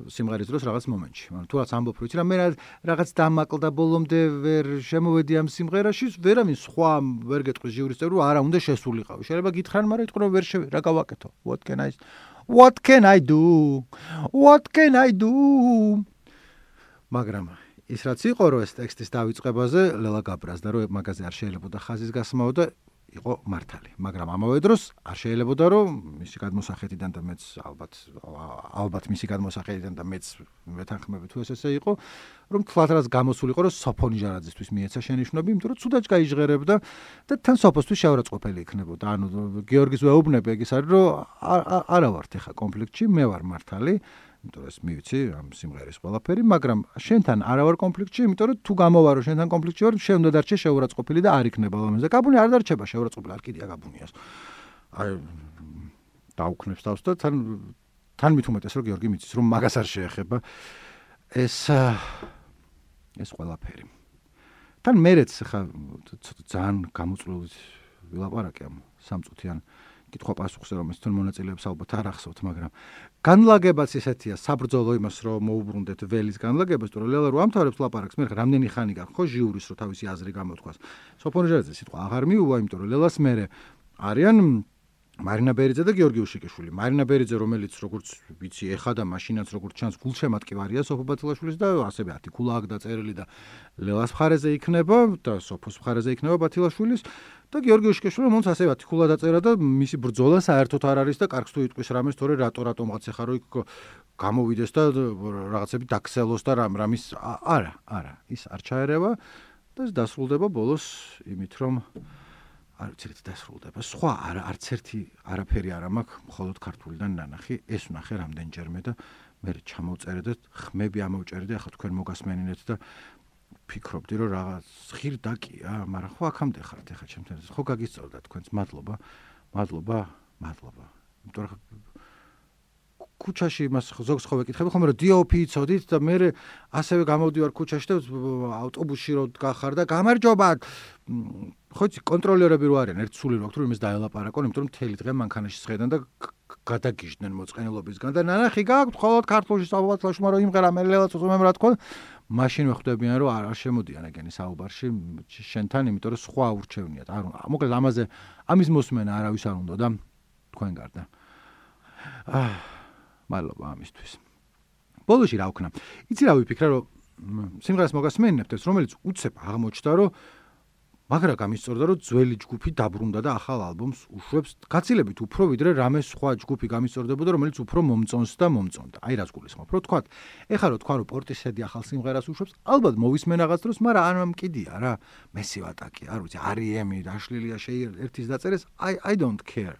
სიმღერის დროს რაღაც მომენტში. მაგრამ თუ რაც ამბობ, ვიცი რა მე რაღაც დამაკლდა ბოლომდე ვერ შემოვედი ამ სიმღერაში, ვერავინ სხვა ვერ გეტყვის ჟიურის წევრი, არა უნდა შესულიყავი. შეიძლება გითხრან, მაგრამ იტყვი რომ ვერ რა გავაკეთო. What can I do? მაგრამ ის რაც იყო რომ ეს ტექსტის დავიწყებაზე ლელა გაბრაზდა რომ მაგაზე არ შეიძლებოდა ხაზის გასმაო და იყო მართალი, მაგრამ ამავე დროს არ შეიძლებოდა რომ მისი გადმოსახედიდან და მეც ალბათ მისი გადმოსახედიდან და მეც მეთანხმები თუ ესე იყო, რომ თლად რაც გამოსულიყო რომ სოფო ნიჟარაძისთვის მიეცა შენიშვნები, იმიტომ რომ ცუდად გაიჟღერებდა და თან სოფოსთვის შეურაცხყოფელი იქნებოდა. ანუ გიორგის ვეუბნები ეგ ის არის რომ არა ვართ ეხა კონფლიქტში, მე ვარ მართალი. იმიტომ რომ მივიცი ამ სიმღერის ყველაფერი, მაგრამ შენთან არა ვარ კონფლიქტში, იმიტომ რომ თუ გამოვარო შენთან კონფლიქტში ვარ, შენ უნდა დარჩე შეურაცხყოფილი და არ იქნება ლამაზე. გაბუნი არ დარჩება შეურაცხყოფილი, არ კიდია გაბუნიას. აი დაუქნებს თავს და თან მით უმეტეს რომ გიორგი მიცის რომ მაგას არ შეეხება ეს ყველაფერი. თან მერეც ხა ძალიან გამოწვეული ვილაპარაკე ამ სამწუთიან კითხვა-პასუხზე, რომ ეს თვითონ მონაწილეებს ალბათ არ ახსოვთ, მაგრამ განლაგებაც ესეთია, საბრძოლო იმას რომ მოუბრუნდეთ ველის განლაგებას, თუ ლელა რო ამთავრებს ლაპარაკს, მე რამდენი ხანი გაქვს ხო ჟიურის რო თავისი აზრი გამოთქვას. სოფო ნიჟარაძე სიტყვა აღარ მიუვა, იმიტომ რომ ლელას მერე არიან მარინა ბერიძე და გიორგი უშიკიშვილი. მარინა ბერიძე, რომელიც როგორც ვიცი, ეხა და მაშინაც როგორც ჩანს, გულშემატკივარია სოფო ბათილაშვილის და ასევე არტიკულა აქვს დაწერილი და ლელას მხარეზე იქნება და სოფოს მხარეზე იქნება ბათილაშვილის. და გიორგი უშიკიშვილი, რომელიც ასევე არტიკულა დაწერა და მისი ბრძოლა საერთოდ არ არის და კარგს თუ იტყვის რამეს, თორე რატომღაც ეხა რო იქ გამოვიდეს და რაღაცები დაქცელოს და რამის არა, ის არ ჩაერევა და ეს დასრულდება ბოლოს იმით, რომ არ ვიცით დასრულდება. სხვა არც ერთი არაფერი არ მაქვს, მხოლოდ ქართულიდან ნანახი, ეს ვნახე რამდენჯერმე და მე ჩამოვწერე და ხმები ამოვჭერე და ახლა თქვენ მოგასმენინეთ და ფიქრობდი რომ რაღაც ღირდაკია, მაგრამ ხო აქამდე ხართ ახლა ჩემთან. ხო გაგისწორდა თქვენს, მადლობა. იმიტომ რომ ქუჩაში იმას ზოგს ხო ვეკითხები ხომ რომ დიოფი იცოდით და მე ასევე გამოვდივარ ქუჩაში და ავტობუსში რო გახარ და გამარჯობა ხო იცი კონტროლერები რო არიან ერთ სული რო აქვს რომ იმას დაელაპარაკონ, იმიტომ რომ მთელი დღე მანქანაში სხედან და გადაგიჟდნენ მოწყენილობისგან და ნანახი გაქვთ ხოლოდ ქართულში საბათლაშმა რომ იმღერა მე ლელაც უზომემ რა თქვა მაშინ ვხვდებიან რომ არ შემოდიან ეგენი საუბარში შენთან, იმიტომ რომ სხვა ურჩევნიათ. არ მოკლედ ამაზე ამის მოსმენა არავის არ უნდა და თქვენ გარდა. მადლობა ამისთვის. ბოლოში რა ვქნა? იცი რა ვიფიქრე, რომ სიმღერას მოგასმენინებთ ეს, რომელიც უცებ აღმოჩნდა, რომ მაგრა გამისწორდა, რომ ძველი ჯგუფი დაბრუნდა და ახალ ალბომს უშვებს გაცილებით უფრო, ვიდრე რამე სხვა ჯგუფი გამისწორდებოდა, რომელიც უფრო მომწონს და მომწონდა. აი რას გულისხმობ, რომ თქვა, ეხლა რო თქვა, რომ პორტისედი ახალ სიმღერას უშვებს, ალბათ მოვისმენ რაღაც დროს, მაგრამ არ მამკიდია რა, მესივატაკი, არ ვიცი, R.E.M. დაშლილია ერთის დაწერეს, I don't care.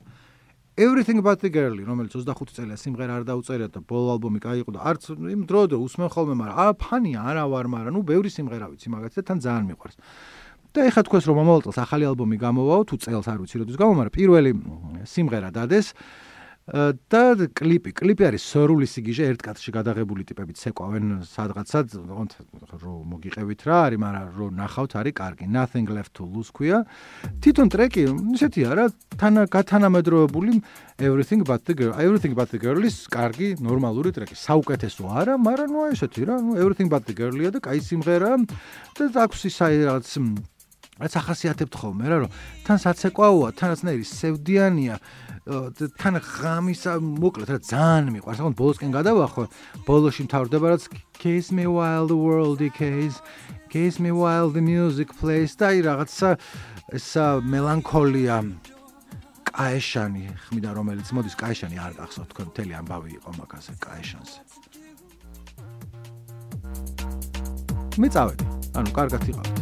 Everything But the Girl, რომელიც 25 წელია სიმღერა არ დაუწერია და ბოლო ალბომი გაიყო და არც იმ დრო усმენ ხოლმე, მაგრამ ფანია არა ვარ, მაგრამ ნუ ბევრი სიმღერა ვიცი მაგათი და თან ძალიან მიყვარს. და ეხლა თქვენს რომ მომავალ წელს ახალი ალბომი გამოვაო, თუ წელს არ ვიცი როდის გამო, მაგრამ პირველი სიმღერა დადეს და კლიპი არის სორული სიგიჟე, ერთ კადრში გადაღებული ტიპებით ცეკვავენ სადღაცად, რომ მოგიყევით რა არის, მაგრამ რომ ნახავთ არის კარგი. Nothing Left to Lose ქვია. თვითონ ტრეკი ისეთია რა, გათანამედროვებული Everything But the Girl-ის კარგი ნორმალური ტრეკი. საუკეთესო არა, მაგრამ ნუ ესეთი რა, ნუ Everything But the Girl-ია და კაი სიმღერა და აქვს ის რაღაც რაც ახასიათებთ ხოლმე რა, რომ თან საცეკვაოა, თანაცნაირი სევდიანია, თან ღამისა მოკლედ რა ძალიან მიყვარს. ახლა ბოლოსკენ გადავახო, ბოლოში მთავრდება რაც Kiss Me While the World Decays, Kiss Me While the Music Plays და აი რაღაცა ესა მელანქოლია კაეშანი ხმიდან რომელიც მოდის კაეშანი არ გახსოვთ თქვენ მთელი ამბავი იყო მაგაზე კაეშანზე. მე წავედი, ანუ კარგად იყავით.